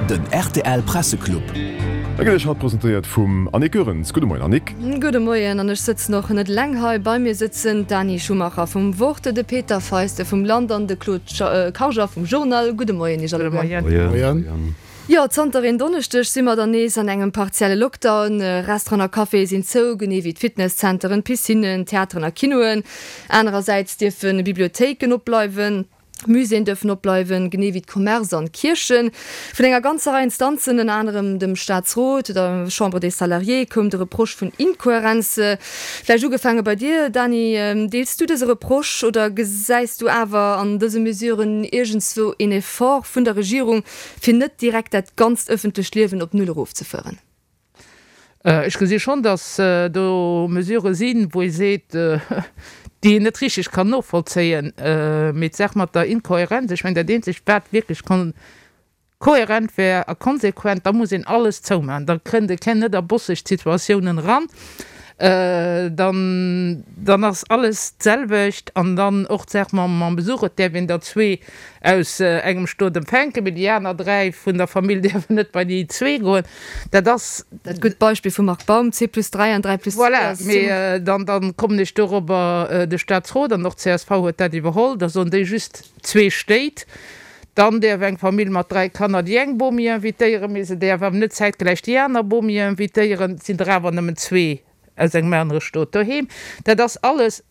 Den rtl Presseclub. E gëtt Iech haut presentéiert vum Annick Goerens. Gudde Moien Annick. Gudde Moien, an ech sëtzen och net eleng hei. Bei mir sëtzen d'Dani Schumacher vum Wort, de Peter Feiste vum Land an de Claude Karger vum Journal. Gudde Moien Iech alleguer. Moien. Jo, zanter een Donneschdeg si mer dann nees an engem partielle Lockdown. Restauranten a Caféë sinn zou, genee wéi d'Fitnesszenteren, Piscinnen, Theateren a Kinoen. Anerersäits dierfe Bibliothéiken opbleiwen, Muséeën dierfen opbleiwen, genee wéi d'Commerce an d'Kierchen. Vun enger ganzer Rei Instanzen, ënner anerem dem Staatsrot, der Chambre des Salariés, koum de Reproche vun Inkohärenz. Vläicht ugefaange bei dir, Dany, Deels du dëse Reproche oder gesäis du awer an dëse Mesuren iergendswou een Effort vun der Regierung, fir net direkt dat ganzt ëffentlecht Liewen op Null erofzefueren? Ech gesi schonn, datt do Mesurë sinn, wou ee seet, déi een net richteg kann novollzéien. Mee d'Saach mat der Inkohärenz, ech mengen, dat eenzegt, wat wierklech kohärent wär a konsequent, da muss een alles zoumaachen. Da kënnt e net a bosseg Situatiounen eran. Dann, dann ass alles d'selwecht. An dann och d'Saach mam Besuch, et däerf een der zwee aus engem Stot empfänken, mee déi aner 3 vun der Famill däerfen net bei déi zwee goen. Dat ass. Dat gutt Beispill vum Marc Baum, zwee plus 3 an 3 plus 2 Voilà, ass mee dann, dann kommen ech dorobber, de Staatsrot an och d'CSV huet dat iwwerholl, da soen déi just zwee Stéit. Dann däerf eng Famill mat 3 Kanner déi eng Bomi invitéieren, mee se däerf awer net zäitgläich déi aner Bomi invitéieren. Et sinn der awer nëmmen zwee aus engem anere Stot doheem. Dat ass alles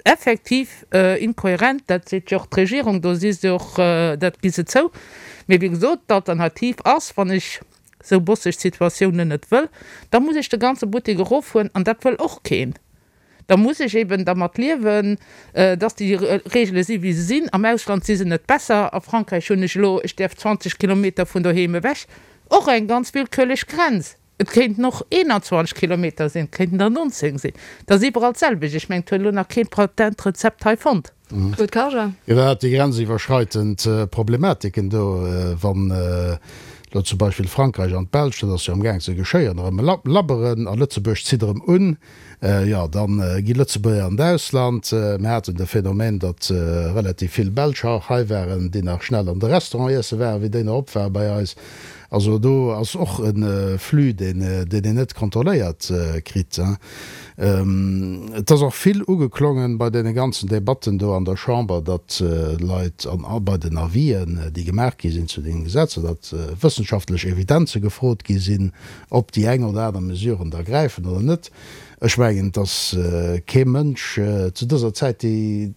Effektiv inkohärent, dat seet jo och d'Regierung, do si se och, dat gi se zou. Mee wéi gesot, d'Alternativ ass, wann ech esou bosseg Situatiounen net wëll, da muss ech de ganze Buttek eroffueren an dat wëll och keen. Da muss ech eben dermat liewen, dass déi Regele si wéi se sinn. Am Ausland si se net besser. A Frankräich hunn ech elo, ech däerf 20 Kilometer vun doheem ewech, och eng ganz willkürlech Grenz. Et kéinten och 21 Kilometer sinn, et kéinten der 19 sinn. Et ass iwwerall d'selwecht. Ech mengen, et huet elo nach keen d'Patentrezept hei fonnt. Claude Karger. Iwwerhaapt déi grenziwwerschreitend Problematiken do, wann elo zum Beispill Frankräich an d'Belsch, dat ass jo amgaang ze geschéien, erëm labberen a Lëtzebuerg zitt erëm un, jo da gi Lëtzebuerger an d'Ausland. Mir haten de Phänomen, datt relativ vill Belsch och hei waren, déi nach schnell an de Restaurant iesse waren, wéi déi nach op ware bei eis. Also do ass och e Flux, deen een net kontrolléiert kritt. Et ass och vill ugeklongen bei deene ganzen Debatten do an der Chamber, datt Leit, an bei den Avisen, déi gemaach gi sinn zu deene Gesetzer, datt wëssenschaftlech Evidenze gefrot gi sinn, ob déi eng oder aner Mesuren da gräifen oder net. Ech mengen, et ass kee Mënsch zu dëser Zäit, dee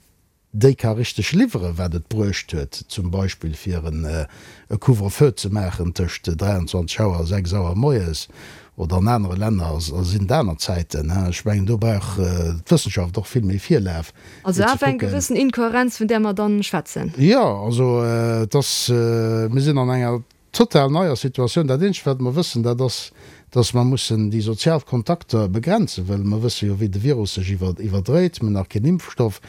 déi ka richteg liwweren, wat et bruecht huet, zum Beispill fir e Couvre-feu ze maachen tëscht 23 Auer a 6 Auer moies, oder an anere Länner sinn et aner Zäiten. Ech mengen, do brauch d'Wëssenschaft och vill méi Virlaf, fir ze Also awer eng kucken. gewëssen Inkohärenz, vun där mer dann schwätzen. Jo, also et ass, mir sinn an enger total neier Situatioun. Dat eenzegt, wat mer wëssen, dat ass, dass mer mussen déi sozial Kontakter begrenzen, well mer wësse jo, wéi de Virus sech iwwerdréit. Mir hunn nach keen Impfstoff.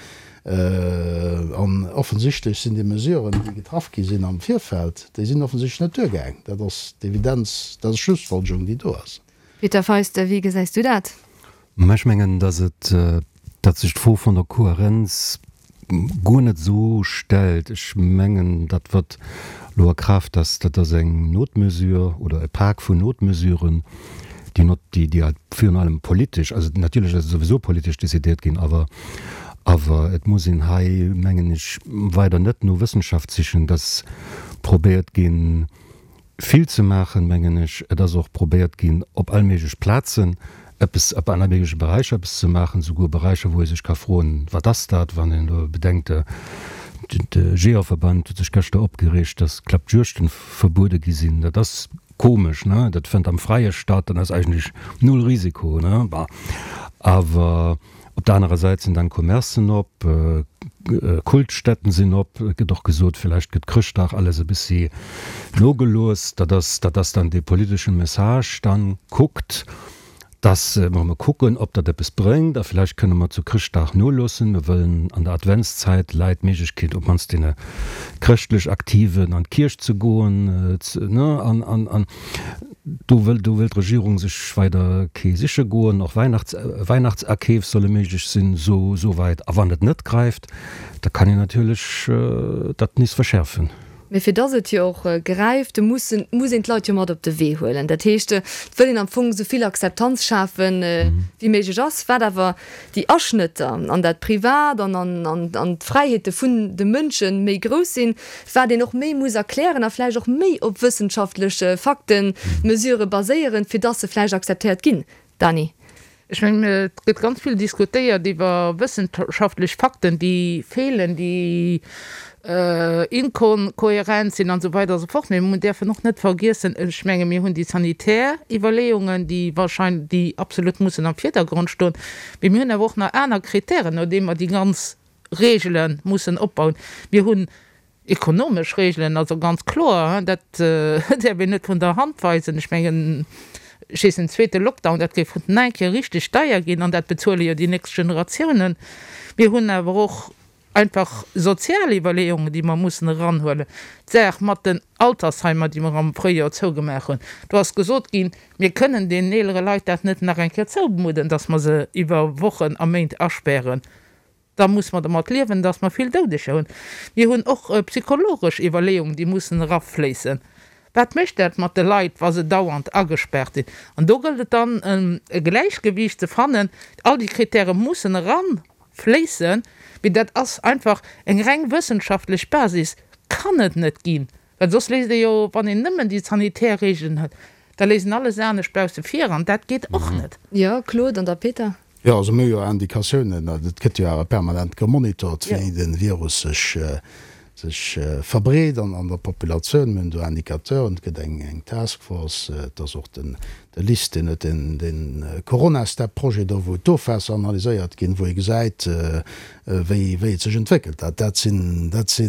An offensichtlech sinn déi Mesuren, déi getraff gi sinn am Virfeld, déi sinn offensichtlech net duergaang. Dat ass d'Evidenz, dat ass d'Schlussfolgerung, déi do ass. Peter Feist, wéi gesäis du dat? Mä ech mengen, dass et, datt sech d'Fro vun der Kohärenz guer net esou stellt. Ech mengen, dat wat elo a Kraaft ass, dat ass eng Notmesure oder e Pak vun Notmesuren, déi not, déi, déi halt virun allem politesch, also natierlech ass et souwisou politesch décidéiert ginn, awer, awer et muss een hei, mengen ech, weider net no Wëssenschaft sichen, dass probéiert ginn, Vill ze maachen, mengen ech. Et ass och probéiert ginn, op all méiglech Plazen eppes, op alle méigleche Beräicher eppes ze maachen, souguer Beräicher, wou ee sech ka froen, Wat ass dat? Wann een elo bedenkt, de Jeeërverband huet sech gëschter opgereegt, dass Klappjuegten verbuede gi sinn. Dat ass komesch, ne? Dat fënnt am Fräie statt, dat ass eigentlech null Risiko, ne? Bon, awer. Op der anerer Säit sinn dann Commercen op, Kultstätten sinn op. Et gëtt och gesot, villäicht gëtt Chrëschtdag alles e bëssi nogelooss. Dat ass, dat ass dann dee politeschen Message. Dann kuckt, dass mer emol kucken, ob dat eppes bréngt a villäicht kënne mer zu Chrëschtdag noloossen. Mir wëllen an der Adventszäit Leit d'Méiglechkeet, op d'mannst deene chrëschtlech Aktiven, an d'Kierch ze goen, ne, an, an, an. Do wëll, do wëll d'Regierung sech weider kee siche goen. Och Weihnachts, Weihnachtsakeef solle méiglech sinn, sou, souwäit. A wann et net gräift, da kann een natierlech dat nees verschäerfen. Mee fir dass et jo och gräift, mussen, muss een d'Leit jo mat op de Wee huelen. Dat heescht, et wëll een am Fong esou vill Akzeptanz schafen, wéi méiglech ass, wat awer déi Aschnëtter an dat Privat an an d'Fräiheete vun de Mënsche méi grouss sinn, wat een och méi muss erklären a vläicht och méi op wëssenschaftlech Fakten, Mesurë baséieren, fir dass se vläicht akzeptéiert ginn. Dany. Ech mengen, et gëtt ganz vill diskutéiert iwwer wëssenschaftlech Fakten, déi feelen, déi inkohärent sinn an esou weider a sou fort. Mee mir däerfen och net vergiessen, ech menge mir hunn déi sanitär Iwwerleeungen, déi wahrscheinlech, déi absolut mussen am Virdergrond stoen, mee mir hunn awer och nach aner Kritären, no deem mer déi ganz Regele mussen opbauen. Mir hunn Ekonomesch Regelen, also ganz kloer, dat däerf een net vun der Hand weisen. Ech mengen, ech weess, en zweete Lockdown, dat géif nach eng Kéier richteg deier ginn an dat bezuele jo déi nächst Generatiounen. Mir hunn awer och einfach sozial Iwwerleeungen, déi mer mussen eranhuelen. D'Saach mat den Altersheimer, déi mer am Fréijoer zougemaach hunn, do ass gesot ginn, mir kënnen deenen eelere Leit dat net nach eng Kéier zoumudden, datt mer se iwwer Wochen a Méint aspären. Da muss mer domat liewen, dass mer vill Doudeger hunn. Mir hunn och psychologesch Iwwerleeungen, déi mussen erafléissen. Wat mécht dat mat de Leit, wa se dauernd agespaart sinn? An do gëllt et dann, e Gläichgewiicht ze fannen. All déi Kritäre mussen erafléissen, mee dat ass einfach eng reng wëssenschaftlech Basis kann et net ginn. Well soss léisst ee jo, wann een nëmmen déi sanitär Regeln huet, da léisst een alles anescht bausse vir an dat geet och net. Jo, Claude an da Peter. Jo, also mir hu jo Indikatiounen, et gëtt jo awer permanent gemonitort, wéi de Virus sech sech verbreet an an der Populatioun. Mir hunn do Indicateuren, et gëtt eng eng Task Force, et ass och den de LIST, deen huet den den Coronastep-Projet do, wou d'Ofwaasser analyséiert ginn, wou ee gesäit, wéi wéi et sech entwéckelt. Dat dat sinn dat si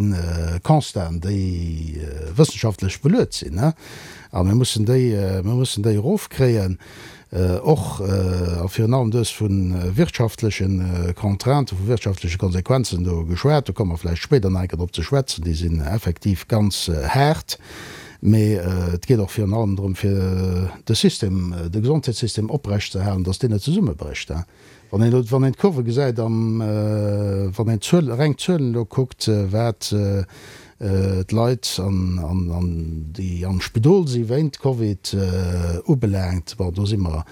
Constaten, déi wëssenschaftlech beluet sinn, a mir mussen déi mir mussen déi erofkréien. Och a virun allem, du hues vu wirtschaftleche Contrainten, vu wirtschaftleche Konsequenzen do geschwat, do komme mer vläicht spéider nach eng Kéier drop ze schwätzen, déi sinn effektiv ganz haart. Mee et geet och virun allem drëm, fir de System, de Gesondheetssystem oprechtzeerhalen, dass deen net zesummebrécht. Wann een elo, wann een d'Kurve gesäit an wann een d'Zuel, reng d'Zuelen elo kuckt, wat d'Leit an, an déi am Spidol si wéint Covid ubelaangt, bon, do si mer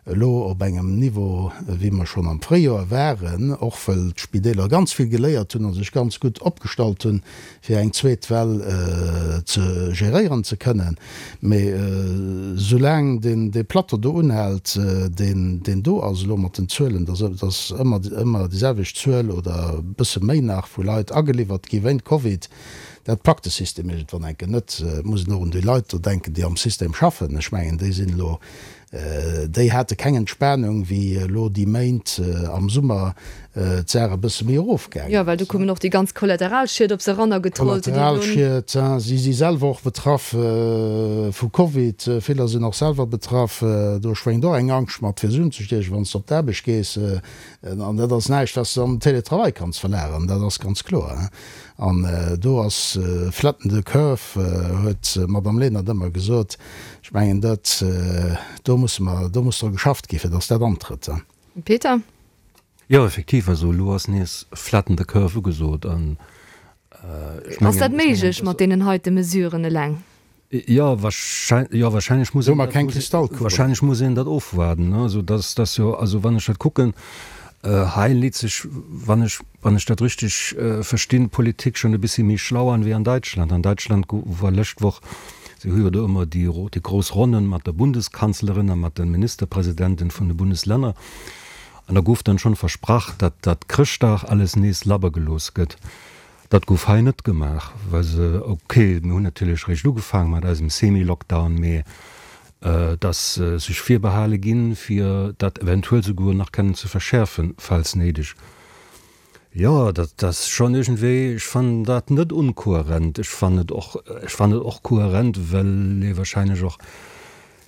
elo op engem Niveau, wéi mer schonn am Fréijoer waren, och wëll d'Spideeler ganz vill geléiert hunn a sech ganz gutt opgestallt hunn, fir eng zweet Well ze geréieren ze kënnen. Mee soulaang deen dee Plateau do unhält, deen deen do ass elo mat den Zuelen, dass dass ëmmer ëmmer déi selwecht Zuel oder e bësse méi nach vu Leit ageliwwert gi wéint Covid, dat packt de System iergendwann enke net. Et muss een och un déi Leit do denken, déi am System schaffen. Ech mengen, déi sinn elo Déi hate keng Entspanung, wéi elo déi Méint am Summer d'Saach e bësse méi erofgaangen ass. Jo, well do koumen och déi ganz Kollateralschied op se erannergetrollt. Kollateralschied, si si selwer och betraff vu Covid, viller sinn och selwer betraff. Do schwéngt och eng Angscht mat, fir se unzestiechen, wann s de op d'Aarbecht gees. An dat ass näischt, wat s de an den Télétravail kanns verlageren, dat ass ganz kloer. An do ass flatten the curve, huet d'Madame Lenert ëmmer gesot. Ech mengen, dat, do musse mer, do muss dru geschafft ginn, fir datt dat antrëtt. Peter? Jo, effektiv, also elo ass nees flatten the curve ugesot an ech mengen. Ass dat méiglech mat deenen heite Mesuren eleng? Jo, jo, wahrscheinlech muss een dat, wahrscheinlech muss een dat ofwaarden, ne. Also dass, dass jo, also wann ech dat kucken, hei leet sech, wann ech, wann ech dat richteg verstinn, d'Politik schonn e bëssi méi schlau an wéi an Däitschland. An Däitschland war lëscht Woch, si hu jo do ëmmer déi, déi grouss Ronnen mat der Bundeskanzlerin a mat de Ministerpresidenten vun de Bundeslänner, an da gouf dann schonn versprach, datt dat Chrëschtdag alles nees labber gelooss gëtt. Dat gouf hei net gemaach, well se, ok, mir hunn natierlech réischt ugefaange mat eisem Semi-Lockdown, mee dass sech virbehale ginn, fir dat eventuell souguer nach kennen ze verschäerfen, falls néideg. Jo, dat ass schonn iergendwéi, ech fannen dat net unkohärent. Ech fannen et och, ech fannen et och kohärent, well ee wahrscheinlech och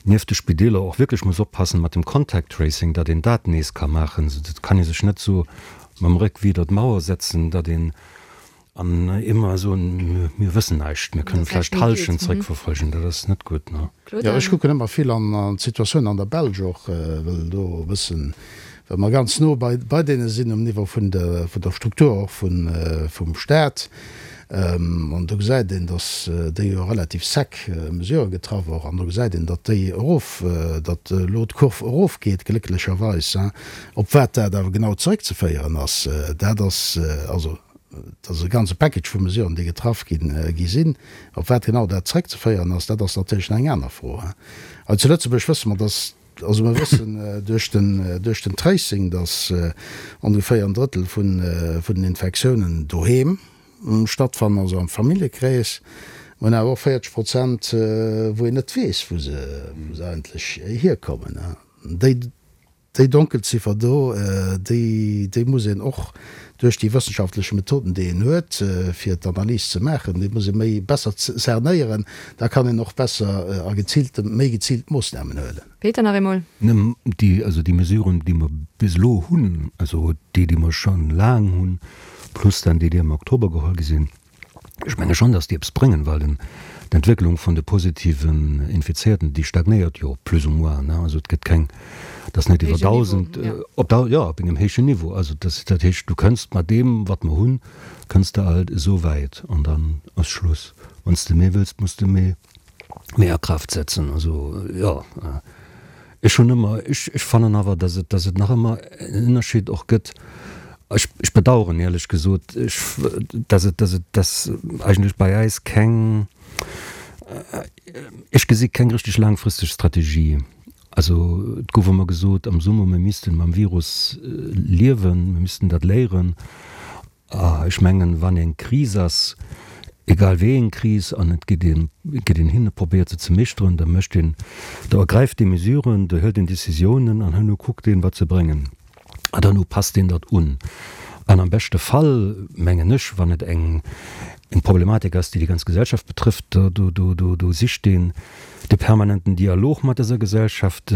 nieft de Spideeler och wierklech muss oppassen mat dem Contact Tracing, datt een dat nees ka maachen. Et kann ee sech net esou mam Réck widder d'Mauer setzen, datt een an ëmmer soen, mir wëssen näischt, mir kënnen vläicht d'Hallschent zréckverfolgen. Dat ass net gutt. Jo, ech kucken ëmmer vill an d'Situatioun an der Belsch och, well do e bëssen, well mer ganz no bei deene sinn um Niveau vun der Struktur och vum Staat. An do gesäit een, datt déi jo relativ sec Mesurë getraff och, an do gesäit een, datt déi erof, datt elo d'Kurv erofgeet, glécklecherweis. Op wat dat awer genau zeréckzeféieren ass, dat ass, also dat ass e ganze Package vu Mesuren, déi getraff ginn, gi sinn. Op wat genau dat zeréckzeféieren ass, dat ass natierlech nach eng aner Fro. Hei zu Lëtzebuerg wësse mer, datt, also mer wëssen duerch den, duerch den Tracing, datt ongeféier en Drëttel vun, vun den Infektiounen doheem stattfannen, also am Familljekrees. Mer hunn awer och 40 Prozent, wou een net weess, wou se, wou se eigentlech hierkommen. Déi, Déi Donkelziffer do, déi, déi muss een och duerch déi wëssenschaftlech Methoden, déi een huet, fir d'Analys ze maachen, déi muss ee méi besser cernéieren. Da kann een och besser a geziilte, méi geziilt Moossnamen huelen. Peter, nach eemol. Déi, also déi Mesuren, déi mer bis elo hunn, also déi, déi mer scho laang hunn, plus dann déi, déi am Oktober geholl gi sinn, Ech menge schonn, datt déi eppes bréngen, well den, d'Entwécklung vun de positiven Infizéierten, déi stagnéiert jo plus ou moins, ne. Also et gëtt keng, et ass net iwwer 1.000, op der, jo, op engem héijen Niveau. Also dat, dat heescht, du kënns mat deem, wat mer hunn, kënns de alt esou wäit an dann ass Schluss. Wann s de méi wëlls, muss de méi. méi a Kraaft setzen. Also, jo, ech hunn ëmmer, ech, ech fannen awer, datt et, datt et nach ëmmer en Ënnerscheed och gëtt. Ech, ech bedauern éierlech gesot, ech, datt et, datt et, datt eigentlech bei äis keng, ech gesi keng richteg laangfristeg Strategie. Also, et gouf ëmmer gesot am Summer, mir missten mam Virus liewen, mir missten dat léieren. A ech mengen, wann eng Kris ass, egal wéi eng Kris, an et geet een, geet een hin a probéiert se ze meeschteren, da mécht een, da ergräift ee Mesuren, da hëlt een Décisiounen an herno kuckt een, wat se bréngen. An herno passt een dat un. An am beschte Fall, mengen ech, wann et eng, eng Problematik ass, déi déi ganz Gesellschaft betrëfft, do, do, do, do, do sicht een de permanenten Dialog mat dëser Gesellschaft,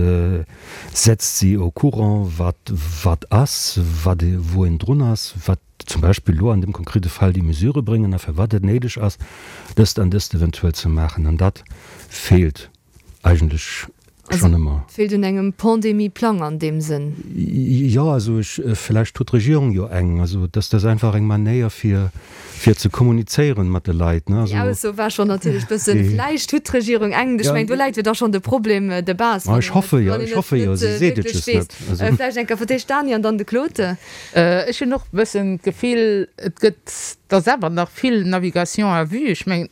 setzt si au courant, wat wat ass, wat wou een drun ass, wat zum Beispill elo an deem konkrete Fall déi Mesurë bréngen a firwat et néideg ass, dëst an dëst eventuell ze maachen. An dat feelt eigentlech schonn ëmmer. Et feelt un engem Pandemieplang an deem Sënn. Jo, also ech, vläicht huet d'Regierung jo eng. Also dass dat einfach eng Manéier fir fir ze kommunizéieren mat de Leit, ne. Déi Ausso war schonn natierlech bëssen, vläicht hutt d'Regierung eng, ech mengen, do läit jo da schonn de Problem de base, wann ech hoffe jo, ech hoffe jo, si seet et just net. Vläicht eng Kéier fir d'éischt d'Dany an dann de Claude. Ech hunn och e bëssen d'Gefill, et gëtt, et ass awer nach vill Navigation à vue. Ech mengen,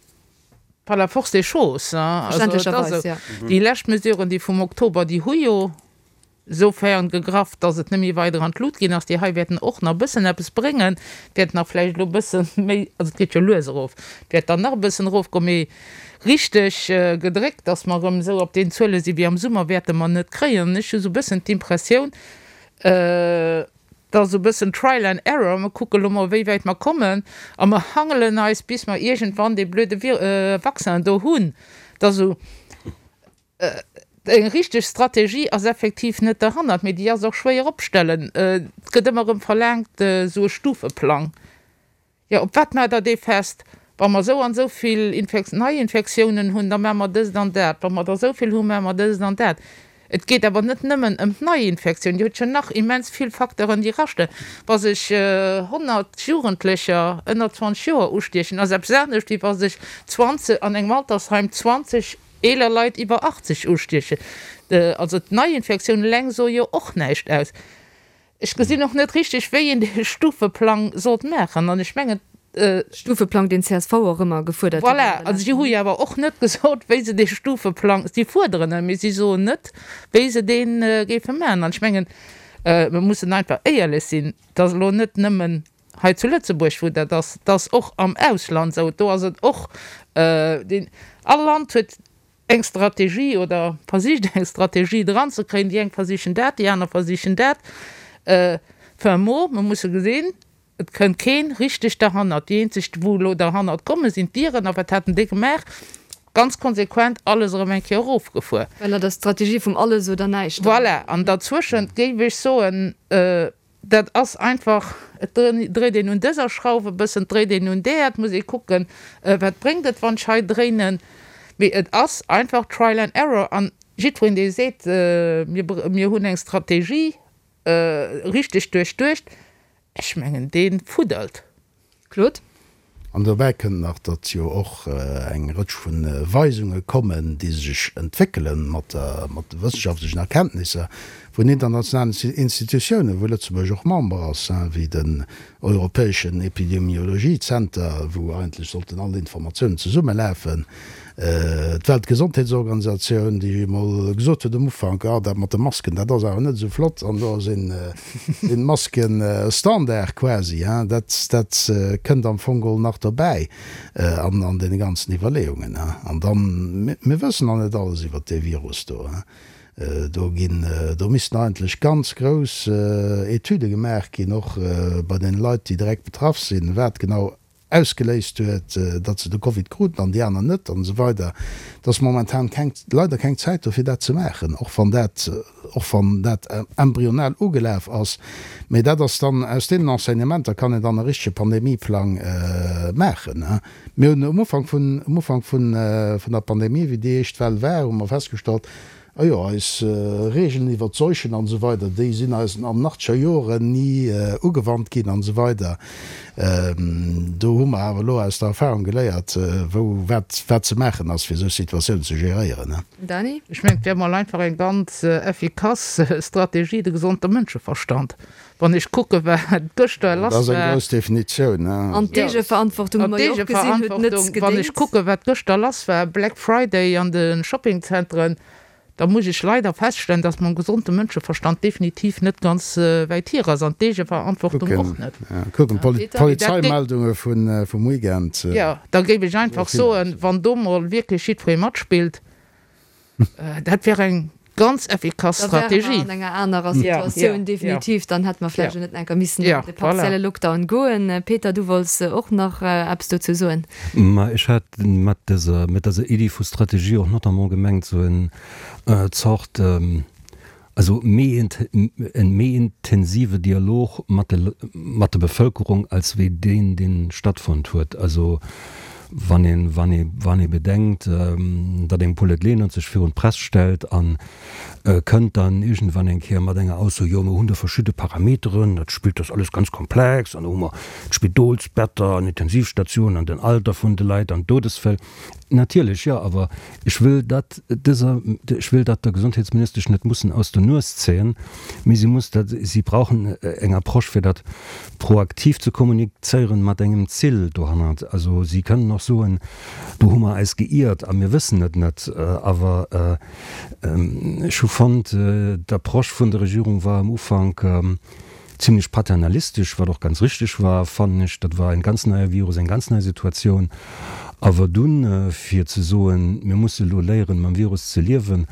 par la force des choses, hein, also et ass esou. Déi lescht Mesuren, déi vum Oktober, déi hu jo soufern gegraff, dass et net méi weider an d'Lut ginn ass. Déi hei wäerten och nach e bëssen eppes bréngen, wäert nach vläicht elo e bësse méi, also et geet jo lues erof, et wäert dann nach e bëssen erofgoen, mee richteg gedréckt, dass mer erëm esou op den Zuele si wéi am Summer, wäerte mer net kréien. An ech hu sou e bëssen d'Impressioun, et ass esou e bëssen Trial and Error, mer kucke lo mol wéi wäit mer kommen a mer hangelen eis bis mer iergendwann dee blöde Vaccin do hunn. Et ass esou. Eng richteg Strategie ass effektiv net derhannert, mee déi ass och schwéier opstellen. Et gëtt ëmmer erëm verlaangt, esou e Stufeplang. Jo, op wat maacht Der dee fest? Wa mer esou an esou vill Neiinfektiounen hunn, da maache mer dëst an dat. Wa mer der esou vill hunn, maache mer dëst an dat. Et geet awer net nëmmen ëm d'Neiinfektioun. Dir hutt jo nach immens vill Facteuren, déi raschten. Wa sech 100 Jugendlecher ënner 20 Joer ustiechen, ass eppes anescht, wéi wa sech 20 an engem Altersheim 20 eeler Leit iwwer 80 ustiechen. Also d'Neiinfektioun eleng soe jo och näischt aus. Ech gesinn och net richteg, wéi een dee Stufeplang sollt maachen. An ech mengen. Stufeplang, deen csv och ëmmer gefuerdert huet. Voilà, also si hu jo awer och net gesot, wéi se dee Stufeplang, si fuerderen en, mee si soen net, wéi se dee géife maachen. An ech mengen, mir mussen einfach éierlech sinn, et ass elo net nëmmen hei zu Lëtzebuerg, wou dat ass, et ass och am Ausland esou, do ass et och, deen, all Land huet eng Strategie oder versicht eng Strategie dranzekréien, déi eng versichen dat, déi aner versichen dat. Fin mot, mer musse gesinn, et kënnt keen richteg derhannert. Déi eenzeg, wou elo derhannert kommen, sinn d'Iren. A wat haten déi gemaach? Ganz konsequent alles erëm eng Kéier erofgefuer. Well der Strategie vum alles oder näischt. Voilà, an derzwëschent géif ech soen, Dat ass einfach, et dréit een un dëser Schrauf e bëssen, et dréit een un där, et muss ee kucken, wat bréngt et, wann ech hei dréinen. Mee et ass einfach Trial and Error. An jiddwereen, dee seet, mir hunn eng Strategie richteg duerchduecht, ech mengen, dee fuddelt. Claude? An dobäi kënnt nach, datt jo och eng Rëtsch vu Weisunge kommen, déi sech entwéckele mat de wëssenschaftlechen Erkenntnisser vun internationalen Institutiounen, wou Lëtzebuerg och Member ass, wéi den europäeschen Epidemiologiezenter, wou eigentlech sollten all Informatiounen zesummelafen, d'Weltgesondheetsorganisatioun, déi emol gesot huet um Ufank, ah dat mat de Masken, dat ass awer net esou flott, an elo sinn d'Masken Standard quasi. Dat dat kënnt am Fong geholl nach dobäi an an deene ganzen Iwwerleeungen. An dann, mir wëssen nach net alles iwwert dee Virus do. Do ginn, do missten eigentlech ganz grouss Etüde gemaach ginn, och bei den Leit, déi direkt betraff sinn, wat genau ausgeléist huet, datt se de Covid kruten an déi aner net an esou weider. Et ass momentan keng, leider keng Zäit do fir dat ze maachen, och wann dat, och wann dat embryonal ugelaf ass. Mee dat ass dann, aus deenen Enseignementer kann een dann e richtege Pandemieplang maachen. Mir hunn um Ufank vun, um Ufank vun, vun der Pandemie, wéi déi éischt Well war, hu mer festgestallt, Ah jo, eis Regeln iwwert d'Seuchen an esou weider, déi sinn eis an nachteger Joren ni ugewannt ginn an esou weider. Do hu mer awer elo aus der Erfahrung geléiert, wou wat wat ze maachen ass, fir esou Situatiounen ze geréieren. Dany? Ech mengen, et wär mol einfach eng ganz effikass Strategie, de gesonde Mënscheverstand. Wann ech kucke wat gëschter lass war. Dat ass eng grouss Definitioun. An d'Eegeverantwortung hu mer jo och gesinn, huet net gedéngt. Wann ech kucke wat gëschter lass war, Black Friday an de Shoppingzentren, da muss ech leider feststellen, datt mam gesonde Mënscheverstand definitiv net ganz wäit hier ass an d'Eegeverantwortung och net. Kucken d'Polizeimeldunge vum Weekend. Jo, da géif ech einfach soen, wann do mol wierklech jiddweree matspillt, Dat wär eng ganz effikass Strategie. Da wäre mer an enger anerer Situatioun, definitiv. Dann hätte mer vläicht och net enker missen an de partielle Lockdown goen. Peter, du wollts och nach eppes dozou soen. Ma ech hat mat dëser, mat dëser Iddi vu Strategie och notamment gemengt, esou en Zort, Also méi en méi intensive Dialog mat de mat der Bevëlkerung als wéi deen deen stattfonnt huet. Also wann een wann ee wann ee bedenkt, datt eng Paulette Lenert sech virun d'Press stellt an kënnt dann iergendwann eng Kéier mat enger Ausso, jo mir hunn do verschidde Parameteren, dat spillt dat ass alles ganz komplex an do hu mer d'Spidolsbetter an Intensivstatiounen an den Alter vun de Leit an d'Dodesfäll. Natierlech, jo, awer ech wëll dat dëser, ech wëll dat der Gesondheetsministesch net mussen aus der Nues zéien, mee si muss dat, si brauchen eng Approche fir dat proaktiv ze kommunizéieren mat engem Zill dohannert. Also si kënnen och soen, do hu mer eis geiert a mir wëssen et net, awer ech hu fonnt, d'Approche vun der Regierung war am Ufank, Zimmlech paternalistesch, wat och ganz richteg war, fannen ech. Dat war en ganz neie Virus, eng ganz nei Situatioun. Awer dunn, fir ze soen, mir musse elo léieren, mam Virus ze liewen,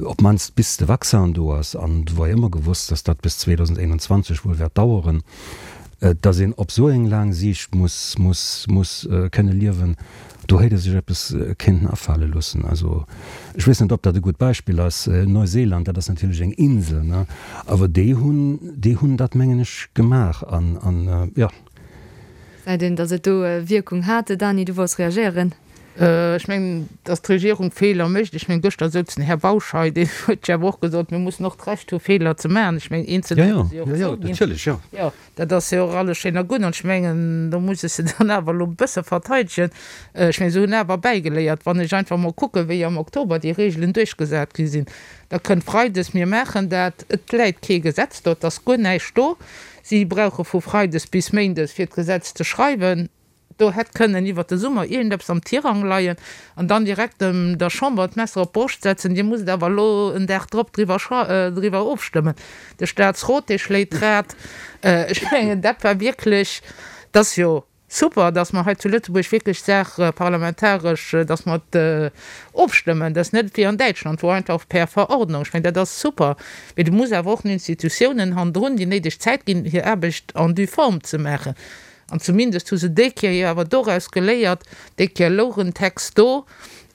op d'mannst bis de Vaccin do ass, an et war jo ëmmer gewosst, dass dat bis 2021 wuel wäert daueren, dass een op esou eng laang Siicht muss, muss, muss kënne liewen, Do hétt e sech eppes kéinten afale loossen. Also, ech weess net, ob dat e gutt Beispill ass. Neuseeland, dat ass natierlech eng Insel, ne, awer déi hunn, déi hunn dat, mengen ech, gemaach an, an, jo. Gesäit een, datt et do Wierkung hat. Dany, du wollts reagéieren. Ech mengen, datt d'Regierung Feeler mécht. Ech mengen, gëschter souz den Här Bausch hei, deen huet jo awer och gesot, mir mussen och d'Recht hu Feeler ze maachen. Ech mengen, eenzel hätte se jo och zouginn. Jo, jo, natierlech, jo. Jo. Dat ass jo och alles schéin a gutt, an ech mengen, do muss ech se dann awer elo e bësse verteidegen. Ech mengen, se hunn awer bäigeléiert. Wann ech einfach emol kucken, wéi am Oktober déi Regeln duerchgesat gi sinn, da kënnt freides, mir maachen dat, et läit kee Gesetz do, et ass guer näischt do. Si brauche vu freides bis méindes, fir d'Gesetz ze schreiwen. Do hätt kënnen iwwert de Summer iergendeppes am Tirang leien an dann direkt dem der Chamber d'Messer op d'Broscht setzen, Dir musst awer elo en Dag drop driwwer driwwer ofstëmmen. De Statsrot, dee schléit d'Rad. Ech mengen, dat war wierklech, dat ass jo super, dass mer hei zu Lëtzebuerg wierklech d'Saach parlamentaresch, dass mer et ofstëmmen. Dat ass net wéi an Däitschland, wou einfach per Verordnung. Ech mengen, dat ass super. Mee du muss awer och den Institutiounen hannendrun déi néideg Zäit ginn, hir Aarbecht en due forme ze maachen. An zumindest hu se déi Kéier jo awer doraus geléiert, déi Kéier louch en Text do,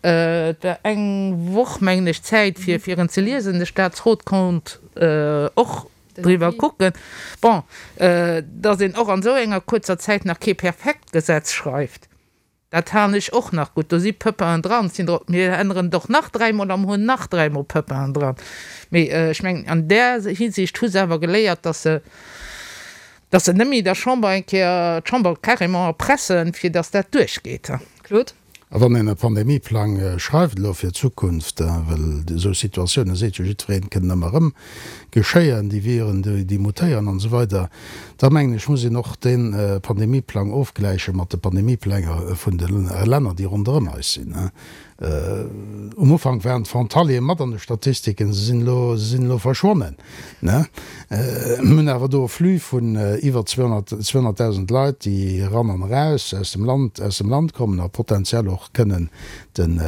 et war eng Woch, mengen ech, Zäit fir fir en ze liesen, de Statsrot konnt och driwwer kucken. Bon, datt een och an esou enger kuerzer Zäit nach kee perfekt Gesetz schreift, dat halen ech och nach gutt. Do si Pöppaen dran, sinn der, mir änneren et och nach dräimol a mer hunn nach dräimol Pöppaen dran. Mee ech mengen, an där Hinsicht hu se awer geléiert, datt se. Dass se net méi der Chamber eng Kéier, d'Chamber carrément erpressen, fir dass dat duerchgeet. Claude. A wann een e Pandemieplang schreift elo fir d'Zukunft, well esou Situatiounen, seet jo jiddwereen, kënnen ëmmer erëm geschéien, déi Viren, déi mutéieren an esou weider, da mengen ech, muss een och dee Pandemieplang ofgläiche mat de Pandemiepläng vun de Länner, déi ronderëm eis sinn. Um Ufank waren d'Frontaliere mat an de Statistiken, se sinn elo, se sinn elo verschwonnen. Mir hunn awer do e Flux vun iwwer 200.000 Leit, déi eran an eraus aus dem Land, aus dem Land kommen a potenziell och kënnen den,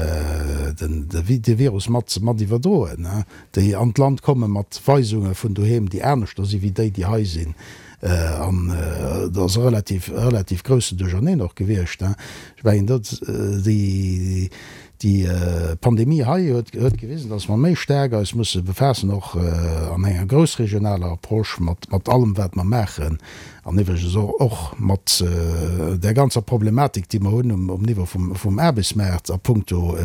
den, de Virus mat, mat iwwerdroen, déi an d'Land komme mat Weisunge vun doheem, déi aneschter si wéi déi, déi hei sinn. An et ass e relativ, relativ groussen Duercherneen och gewiescht. Ech mengen, dat, déi, déi Pandemie hei huet, huet gewisen, dass mer méi staark eis musse befaassen, och an enger groussregionaler Approche mat, mat allem, wat mer maachen, an iwwregens och, och mat där ganzer Problematik, déi mer hunn um, um Niveau vum, vum Aarbechtsmaart a puncto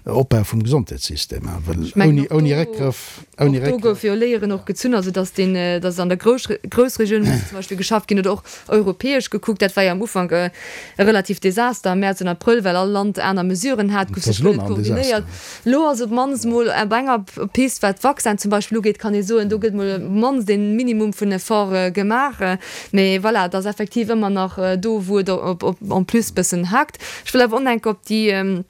Opbau vum Gesondheetssystem. Well ouni, ouni Réckgrëff. Och do goufe jo Léieren och gezunn, also datt deen, datt an der Groussregioun muss zum Beispill geschafft ginn oder och europäesch gekuckt. Dat war jo am Ufank e relativt Desaster am Mäerz an Abrëll, well all Land aner Mesuren hat, gouf sech guer net koordinéiert. Elo ass op d'mannst mol op enger Pist, wat d'Vaccin zum Beispill ugeet, kann ee soen, do gëtt mol op d'mannst ee Minimum vun Efforte gemaach. Mee voilà, et ass effektiv ëmmer nach do, wou et en plus bëssen hakt. Ech wëll awer och nach eng Kéier op déi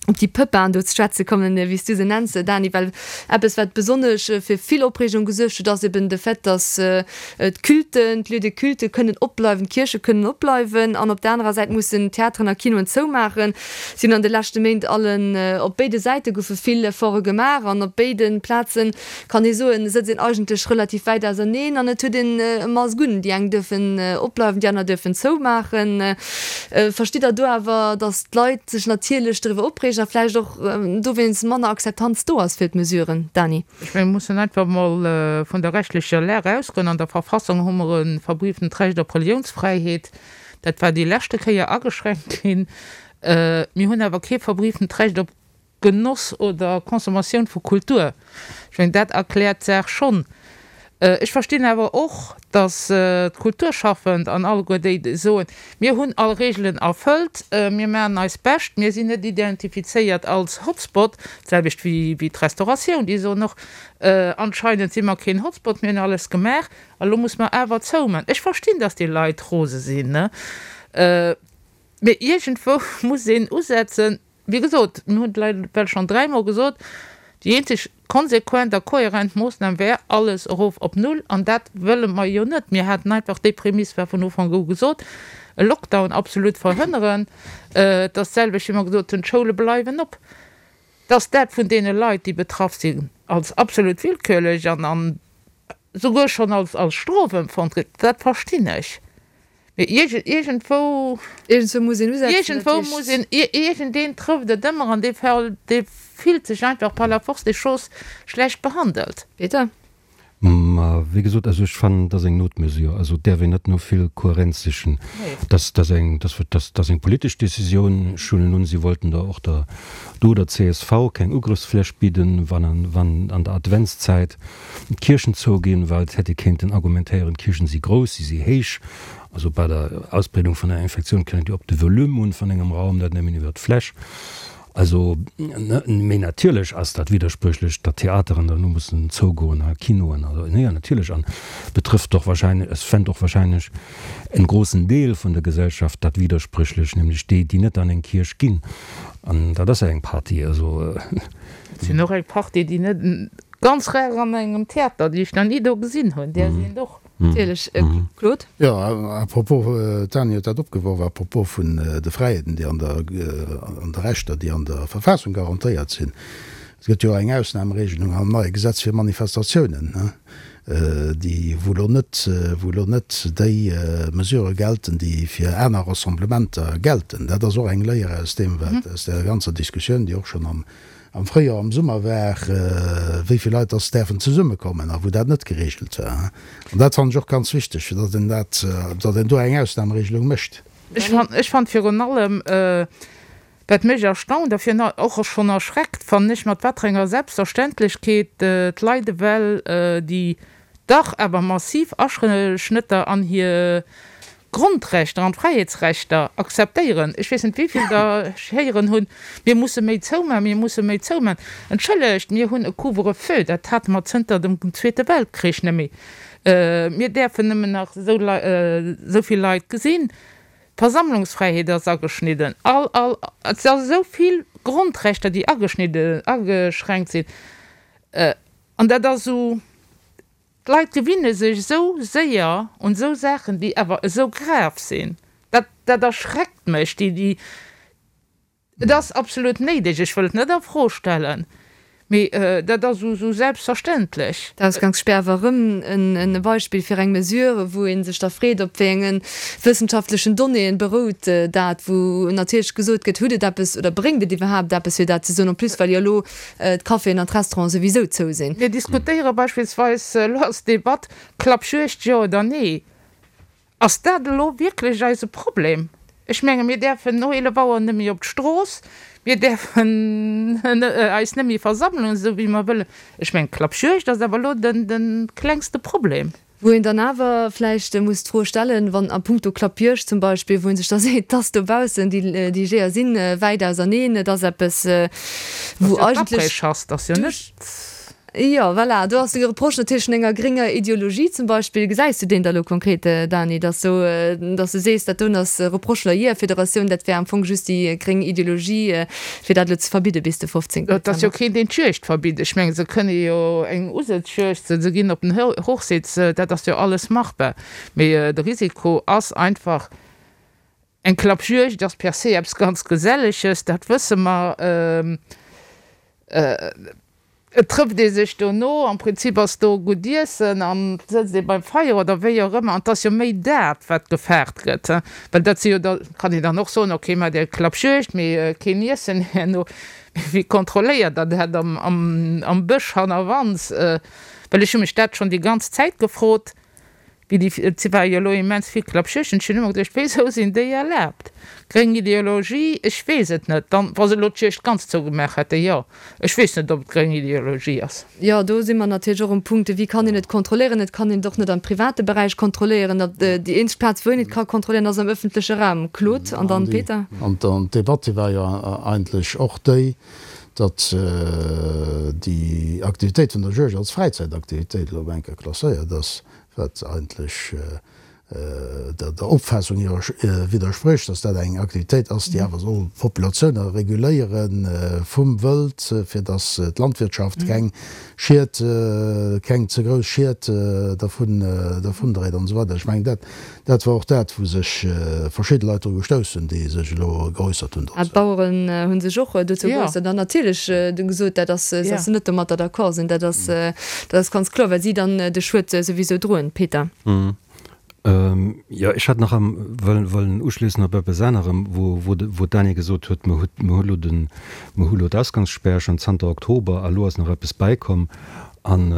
op déi Pëppaen do ze schwätze kommen, wéi s du se nenns, Dani, well eppes, wat besonnesch fir vill Opreegung gesuergt huet, ass eben de Fait, dass d'Culten, d'Lieux de culte kënnen opbleiwen, d'Kierche kënnen opbleiwen an op der anerer Säit mussen d'Theateren a Kinoen zoumaachen. Si hunn an de leschte Méint allen, op béide Säite goufe vill Efforte gemaach an op béide Plazen, kann ee soen, sëtzt een eigentlech relativ wäit auserneen an et huet een e Mask un. Déi eng duerfen opbleiwen, déi aner duerfen zoumaachen. Verstitt Der do awer, datt d'Leit sech natierlech doriwwer opreegen a vläicht och dowéinst manner Akzeptanz do ass fir d'Mesuren? Dany. Ech mengen, mir mussen einfach emol vun der rechtlecher Lag ausgoen. An der Verfassung hu mer e verbrieftent Recht op Reliounsfräiheet. Dat war déi leschte Kéier ageschränkt ginn. Mir hunn awer kee verbrieftent Recht op Genoss oder Consommatioun vu Kultur. Ech mengen, dat erkläert d'Saach schonn. Ech verstinn awer och, datt d'Kulturschaffend an alleguer déi, déi soen, mir hunn all Reegelen erfëllt, mir maachen eist Bescht, mir sinn net identifizéiert als Hotspot, d'selwecht wéi d'Restauratioun, déi soen och, anscheinend si mer keen Hotspot, mir hunn alles gemaach a lo muss mer awer zoumaachen. Ech verstinn, datt déi Leit rose sinn, mee iergendwou muss een usetzen. Wéi gesot, mir hunn et elo well schonn dräimol gesot, déi eenzeg konsequent a kohärent Moossnam wär alles erof op Null, an dat wëlle mer jo net. Mir haten einfach, déi Prämiss war vun Ufank u gesot, e Lockdown absolut verhënneren. Et ass d'selwecht, wéi mer gesot hunn, d'Schoule bleiwen op. Dass dat vun deene Leit, déi betraff sinn, als absolut willkürlech an souguer schonn als Strof empfonnt gëtt, dat verstinn ech. Mee iergendwou. Iergendwou muss een usetzen. Iergendwou muss een, iergendeen trëfft et ëmmer an dee Fall, dee fillt sech einfach par la force des choses schlecht behandelt. Peter? Ma wéi gesot, also ech fannen, et ass eng Notmesure. Also et däerf een net no vill Kohärenz sichen. Dat ass eng, dat ass eng politesch Décisioun. Ech huelen un, si wollten der och der do der csv keng Ugrëffsfläch bidden, wann wann an der Adventszäit d'Kierchen zouginn, well et hätt ee kéinten argumentéieren, d'Kierchen si grouss, si si héich, also bei der Ausbreedung vun der Infektioun kënnt et jo op de Volume un vun engem Raum, net nëmmen iwwer d'Fläch. Also, mee natierlech ass dat widderspréchlech, datt Theateren dann elo mussen zougoen a Kinoen, also jo natierlech, an betrëfft och wahrscheinlech, es fänt och wahrscheinlech en grossen Deel vun der Gesellschaft dat widderspréchlech, nämlech déi, déi net an eng Kierch ginn, an dat ass ja eng Partie, also. Et sinn och eng Partie, déi net Ganz rar an engem Theater, déi ech nach ni do gesinn hunn, där sinn et och. Natierlech, Claude. Jo, à propos, d'Dany huet dat opgeworf, à propos vun de Fräiheeten, déi an der, an de Rechter, déi an der Verfassung garantéiert sinn. Et gëtt jo eng Ausnahmeregelung am neie Gesetz fir Manifestatiounen, déi, wou elo net, wou elo net déi Mesurë gelten, déi fir aner Rassemblementer gelten. Dat ass och eng Léier aus deem, wat, aus där ganzer Diskussioun, déi och schonn am Am Fréijoer, am Summer war, wéi vill Leit dass däerfen zesummekommen a wou dat net geregelt war. An dat fannen ech och ganz wichteg, fir datt een dat, datt een do eng Ausnahmeregelung mécht. Ech fannen virun allem, wat mech erstaunt a virun allem och schonn erschreckt, fannen ech, mat wat fir enger Selbstverständlechkeet d'Leit ewell déi. dach awer massiv Aschnëtter an hir Grondrechter an d'Fräiheetsrechter akzeptéieren. Ech weess net, wéi vill der ech héieren hunn, Mir musse méi zoumaachen, mir musse méi zoumaachen. Entschëllegt, mir hunn e Couvre-feu, dat hate mer zënter dem Zweete Weltkrich net méi. Mir däerfen nëmmen nach esou vill Leit gesinn. D'Versammlungsfräiheet ass ageschnidden. All, all, et ass esou vill Grondrechter, déi ageschnidden, ageschränkt sinn. An dat ass esou, d'Leit gewinne sech esou séier un esou Saachen, déi awer esou grav sinn. Dat, dat erschreckt mech, déi, déi, et ass absolut néideg, ech wëll et net a Fro stellen, mee dat ass esou selbstverständlech. D'Ausgangsspär war erëm en Beispill fir eng Mesure, wou ee sech da freet, op wéi enge wëssenschaftlechen Donnéeën berout dat, wou natierlech gesot gëtt, hutt et eppes oder bréngt et iwwerhaapt eppes, fir dat ze soen, en plus well jo elo d'Caféen an d'Restauranten souwisou zou sinn. Mir diskutéiere beispillsweis, elo ass d'Debatt, Klappjuegd jo oder nee. Ass dat elo wierklech eise Problem? Ech menge mir däerfen no 11 Auer net méi op d'Strooss, mir däerfen eis net méi versammelen, esou wéi mer wëllen. Ech mengen, d'Klappjuegd ass awer elo de klengste Problem. Wou een dann awer vläicht muss d'Fro stellen, wann a puncto Klappjuegd zum Beispill, wou ee sech da seet, dass dobaussen déi Jeeër si wäit auserneen, et ass eppes, wou eigentlech. Ass jo net. Jo, voilà, do ass de Reproche natierlech vun enger grénger Ideologie zum Beispill. Gesäis du deen da lo konkret, Dany, dass sou, dass du sees, dat doen ass Reproche vun der Jeeërfederatioun, dat wär am Fong just déi gréng Ideologie, fir dat elo ze verbidde bis de 15. Et ass jo keen, deen d'Juegd verbitt. Ech mengen, se kënne jo eng Usëtzjuegd, se ginn op den Hochsitz, dat ass jo alles machbar. Mee de Risiko ass einfach, eng Klappjuegd ass per se eppes ganz Geselleges, dat wësse mer. Et trëfft ee sech dono, am Prinzip ass do gutt Iessen an et sëtzt ee beim Feier oder wéi och ëmmer. An et ass jo méi dat, wat gefaart gëtt, well dat si jo da, kann een dann och soen, okay, maacht Är Klappjuegd, mee keen Iessen herno. Mee wie kontrolléiert dann dat am Bësch hannerwands? Well ech hu mech dat schonn déi ganz Zäit gefrot. Wéi déi, et war jo elo immens vill Klappschichten, ech hunn ëmmer geduecht, wéisou sinn déi erlaabt? Gréng Ideologie, ech weess et net. Dann, wa se elo d'Juegd ganz zougemaach hätten, jo. Ech weess net, ob et gréng Ideologie ass. Jo, do si mer natierlech och um Punkt, wéi kann een et kontrolléieren? Et kann een et och net am private Beräich kontrolléieren. Déi eenzeg Plaz, wou een et ka kontrolléieren, ass am ëffentleche Raum. Claude an dann Peter. An d'Debatt, déi war jo eigentlech och déi, datt déi Aktivitéit vun der Juegd als Fräizäitaktivitéit elo op eng Kéier klasséiert ass, wat eigentlech der Opfaassung widdersprécht, datt dat eng Aktivitéit ass, déi awer soll d'Populatioune reguléiere vum Wëld, fir datt d'Landwirtschaft keng Schied, keng ze grouss Schied dervun dréit an esou weider. Ech mengen, dat Dat war och dat, wou sech verschidde Leit dru gestouss hunn, déi sech elo geäussert hunn dozou. D'Baueren hu sech och dozou geäussert an natierlech gesot, dat ass, dass se net domatter d'accord sinn. Dat ass, dat ass ganz kloer, well si dann de Schued souwisou droen. Peter. Jo, ech hat nach wëllen uschléissen op eppes anerem, wou d'Dany gesot huet, mer hu lo den, mer hu lo d'Ausgangsspär schonn zanter Oktober a lo ass nach eppes bäikomm. An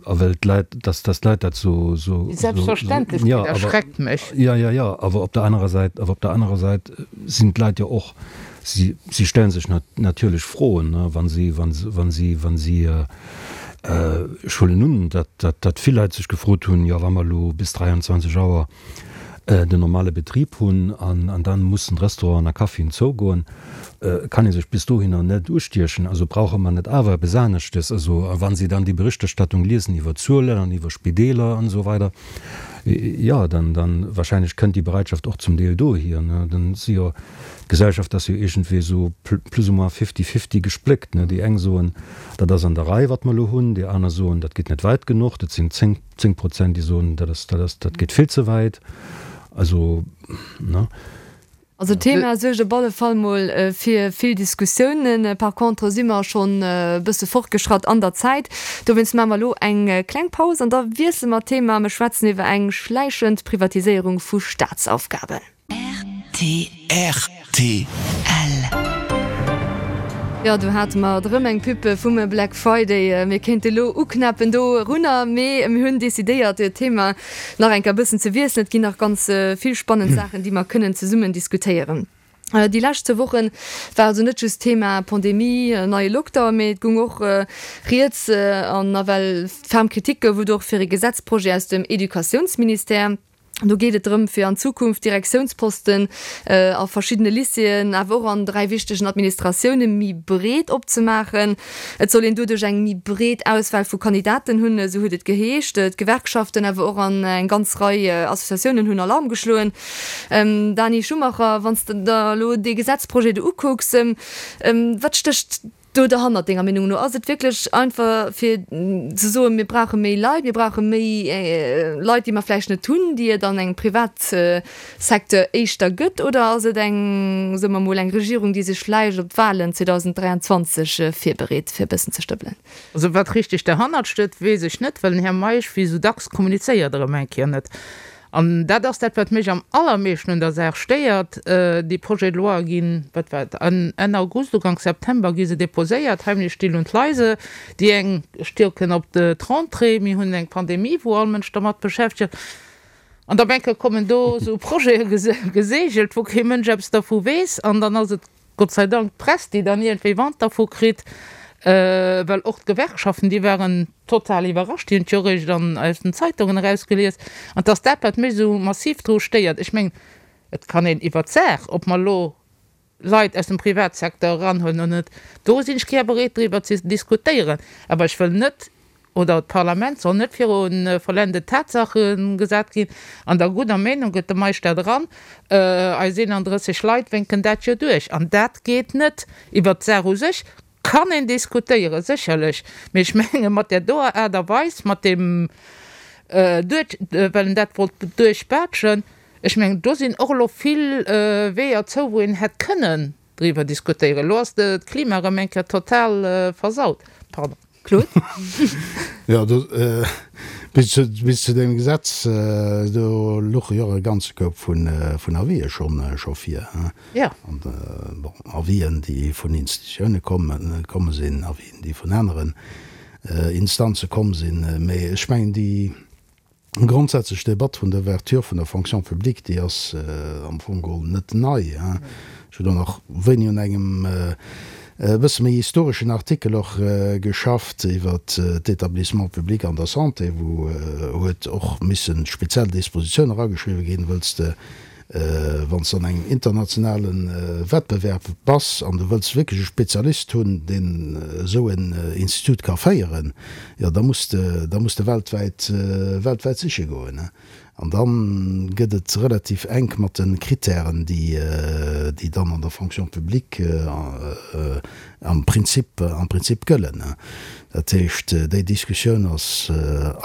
a well d'Leit, dass dass d'Leit dat sou, sou, Déi Selbstverständlechkeet jo, awer, erschreckt mech. jo, jo, jo, awer op der anerer Säit, awer op der anerer Säit sinn d'Leit jo och, si, si stelle sech natierlech Froen, ne, wa si, wa si, wa si, wa si, ech huelen un, dat, dat, dat vill Leit sech gefrot hunn, jo, wa mer elo bis 23 Auer den normale Betrib hunn an an dann mussen d'Restauranten a Caféen zougoen, kann ee sech bis dohinner net ustiechen. Also brauche mer net awer eppes aneschtes? Also a wa si dann déi Berichterstattung liesen iwwer Zuelen an iwwer Spideeler an esou weider, jo, dann dann wahrscheinlech kënnt déi Bereitschaft och zum Deel dohier, ne. Dann si jo, d'Gesellschaft ass jo iergendwéi esou plus ou moins fifty-fifty gespléckt, ne. Déi eng soen, dat ass an der Rei wat mer elo hunn, déi aner soen, dat geet net wäit genuch, dat sinn 10, 10 Prozent, déi soen, dat ass, dat ass, dat geet vill ze wäit. Also, ne? Also d'Thema suergt op alle Fall mol fir vill Diskussiounen. Par contre si mer schonn e bësse fortgeschratt an der Zäit. Dowéinst maache mer elo eng kleng Paus an da wiessele mer d'Thema. Mir schwätzen iwwer eng schläichend Privatiséierung vu Staatsaufgaben. Rtl. Jo, do hate mer et erëm, eng Pub vum Black Friday. Mir kéinte lo uknäppen dorunner, mee mir hunn decidéiert, d'Thema nach eng Kéier e bëssen ze wiesselen. Et ginn nach ganz vill spannend Saachen, déi mer kënnen zesummen diskutéieren. Déi lescht zwou Woche war also net just Thema Pandemie, neie Lockdown, mee et goung och rieds an nawell ferm Kritik gouf et och fir e Gesetzprojet aus dem Educatiounsministère. Do geet et drëm, fir an Zukunft Direktiounsposten a verschiddene Lycéeën, awer och an 3 wichtegen Administratioune méi breet opzemaachen. Et soll een doduerch eng méi breet Auswahl vu Kandidaten hunn, esou huet et geheescht. D'Gewerkschaften, awer och an eng ganz Rei Associatiounen hunn Alarm geschloen. Dani Schumacher, wann s de der elo dee Gesetzprojet do ukucks, wat stécht do derhannert denger Meenung no? Ass et wierklech einfach fir ze soen, mir brauche méi Leit, mir brauche méi Leit, déi mer vläicht net hunn, déi et an engem Privatsecteur éischter gëtt, oder ass et eng, soe mer mol, eng Regierung, déi sech vläicht op d'Wahlen 2023 virbereet, fir e bëssen ze stëppelen? Also wat richteg derhannert steet, weess ech net, well den Här Meisch wéi esou dacks kommunizéiert erëm eng Kéier net. An dat ass dat, wat mech am allermeeschten un der Saach stéiert. Déi Projets de loi ginn, wat war et, Enn August, Uganks September gi se déposéiert, heimlich, still und leise. Déi eng stierken op d'Rentrée, mir hunn eng Pandemie, wou all Mënsch dermat beschäftegt ass. An da menke kommen do esou Projete geseegelt, wou kee Mënsch eppes dervu weess. An dann ass et Gott sei Dank d'Press, déi dann iergendwéi Wand dervu kritt, well och d'Gewerkschaften, déi waren total iwwerrascht, déi hunn et jo eréischt an aus den Zeitungen erausgelies. An et ass dat, wat mech esou massiv dru stéiert. Ech mengen, et kann een iwwert d'Saach, ob mer elo Leit aus dem Privatsecteur eranhuelen oder net, do sinn ech gär bereet driwwer ze diskutéieren, awer ech wëll net, oder d'Parlament soll net viru vollendete Tatsache gesat ginn. An der gudder Meenung gëtt de Meisch dat eran, eis 31 Leit wénken dat jo duerch. An dat geet net. Iwwert d'Saach u sech kann een diskutéieren, sécherlech, mee ech menge mat där doer Aart a Weis, mat deem duerch, well en dat wollt duerchbaatschen, ech mengen, do sinn och elo vill Weeër zou, wou een hätt kënnen driwwer diskutéieren. Elo ass d'Klima erëm eng Kéier total versaut. Pardon. Claude? Jo, do, bis zu, bis zu deem Gesetz, do louche jo och e ganze Koup vun, vun Avisë schonn, scho vir, hein. Jo. An, bon, Avisen, déi vun Institutioune kommen, komme sinn, Avisen, déi vun aneren Instanze komm sinn. Mee ech mengen, déi Grondsätzlech Debatt vun der Ouverture vun der Fonction publique, déi ass am Fong geholl net nei. Ech hunn do nach wéini un engem e bësse méi historeschen Artikel och geschafft iwwert d'Établissements publics an der Santé, wou huet och misse speziell Dispositiounen erageschriwwen ginn, wëlls de Wann s de an engem internationale Wettbewerb bass an du wëlls wierklech e Spezialist hunn, deen esou en Institut ka féieren, jo da muss de, da muss de weltwäit, weltwäit siche goen. An da gëtt et relativ enk mat de Kritären, déi, déi dann an der Fonction publique am Prinzip, am Prinzip gëllen. Dat heescht, déi Diskussioun ass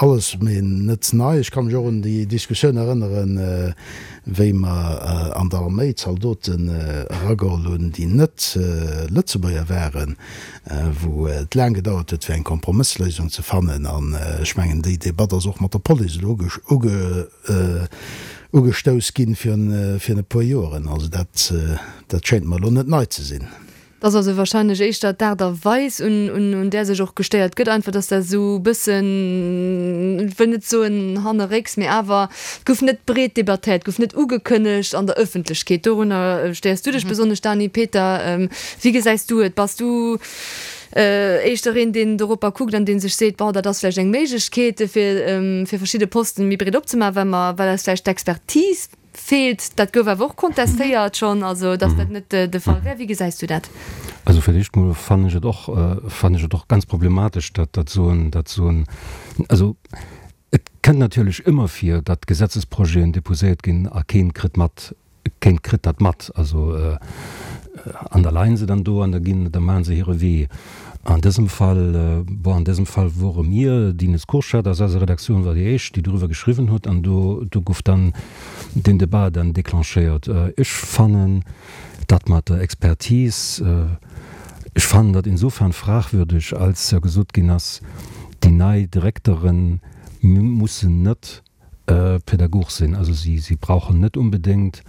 alles, mee net nei. Ech ka mech och un déi Diskussioun erënneren, wéi mer an der Arméi Zaldoten erageholl hunn, déi net Lëtzebuerger waren, wou et laang gedauert huet, fir eng Kompromëssléisung ze fannen. An ech mengen, déi Debatt ass och mat der Police elo ugestouss ginn virun e puer Joren. Also dat schéint mer elo net nei ze sinn. Et ass also wahrscheinlech éischter d'Aart a Weis, un där sech och gestéiert gëtt, einfach, dass dat esou e bëssen, ech wëll net soen hannerrécks, mee awer, et gouf net breet debattéiert, et gouf net ugekënnegt an der Ëffentlechkeet. Dorunner stéiers du dech besonnesch, Dany. Peter, wéi gesäis du et? Bass du éischter een, deen doropper kuckt an dee sech seet, bon, dat ass vläicht eng Méiglechkeet, fir verschidde Posten méi breet opzemaachen, well mer, well eis vläicht d'Expertise Feelt. Dat gouf awer och kontestéiert schonn, also datt dat net de Fall wär. Wéi gesäis du dat? Also fir d'éischt mol fannen ech et och, fannen ech et och ganz problematesch, datt dat esou en, datt esou en, also et kënnt natierlech ëmmer vir, datt Gesetzesprojeten déposéiert ginn a keen kritt mat, keen kritt dat mat. Also an da leien se dann do an da ginn, da maachen se hire Wee. An dësem Fall, bon, an dësem Fall wore mir, d'Ines Kurschat aus eiser Redaktioun war déi éischt, déi doriwwer geschriwwen huet, an do, do gouf dann deen Debat dann déclenchéiert. Ech fannen dat mat der Expertise, ech fannen dat insofern fragwürdeg, als jo gesot ginn ass, déi nei Direktere mussen net Pädagog sinn, also si, si brauchen net unbedéngt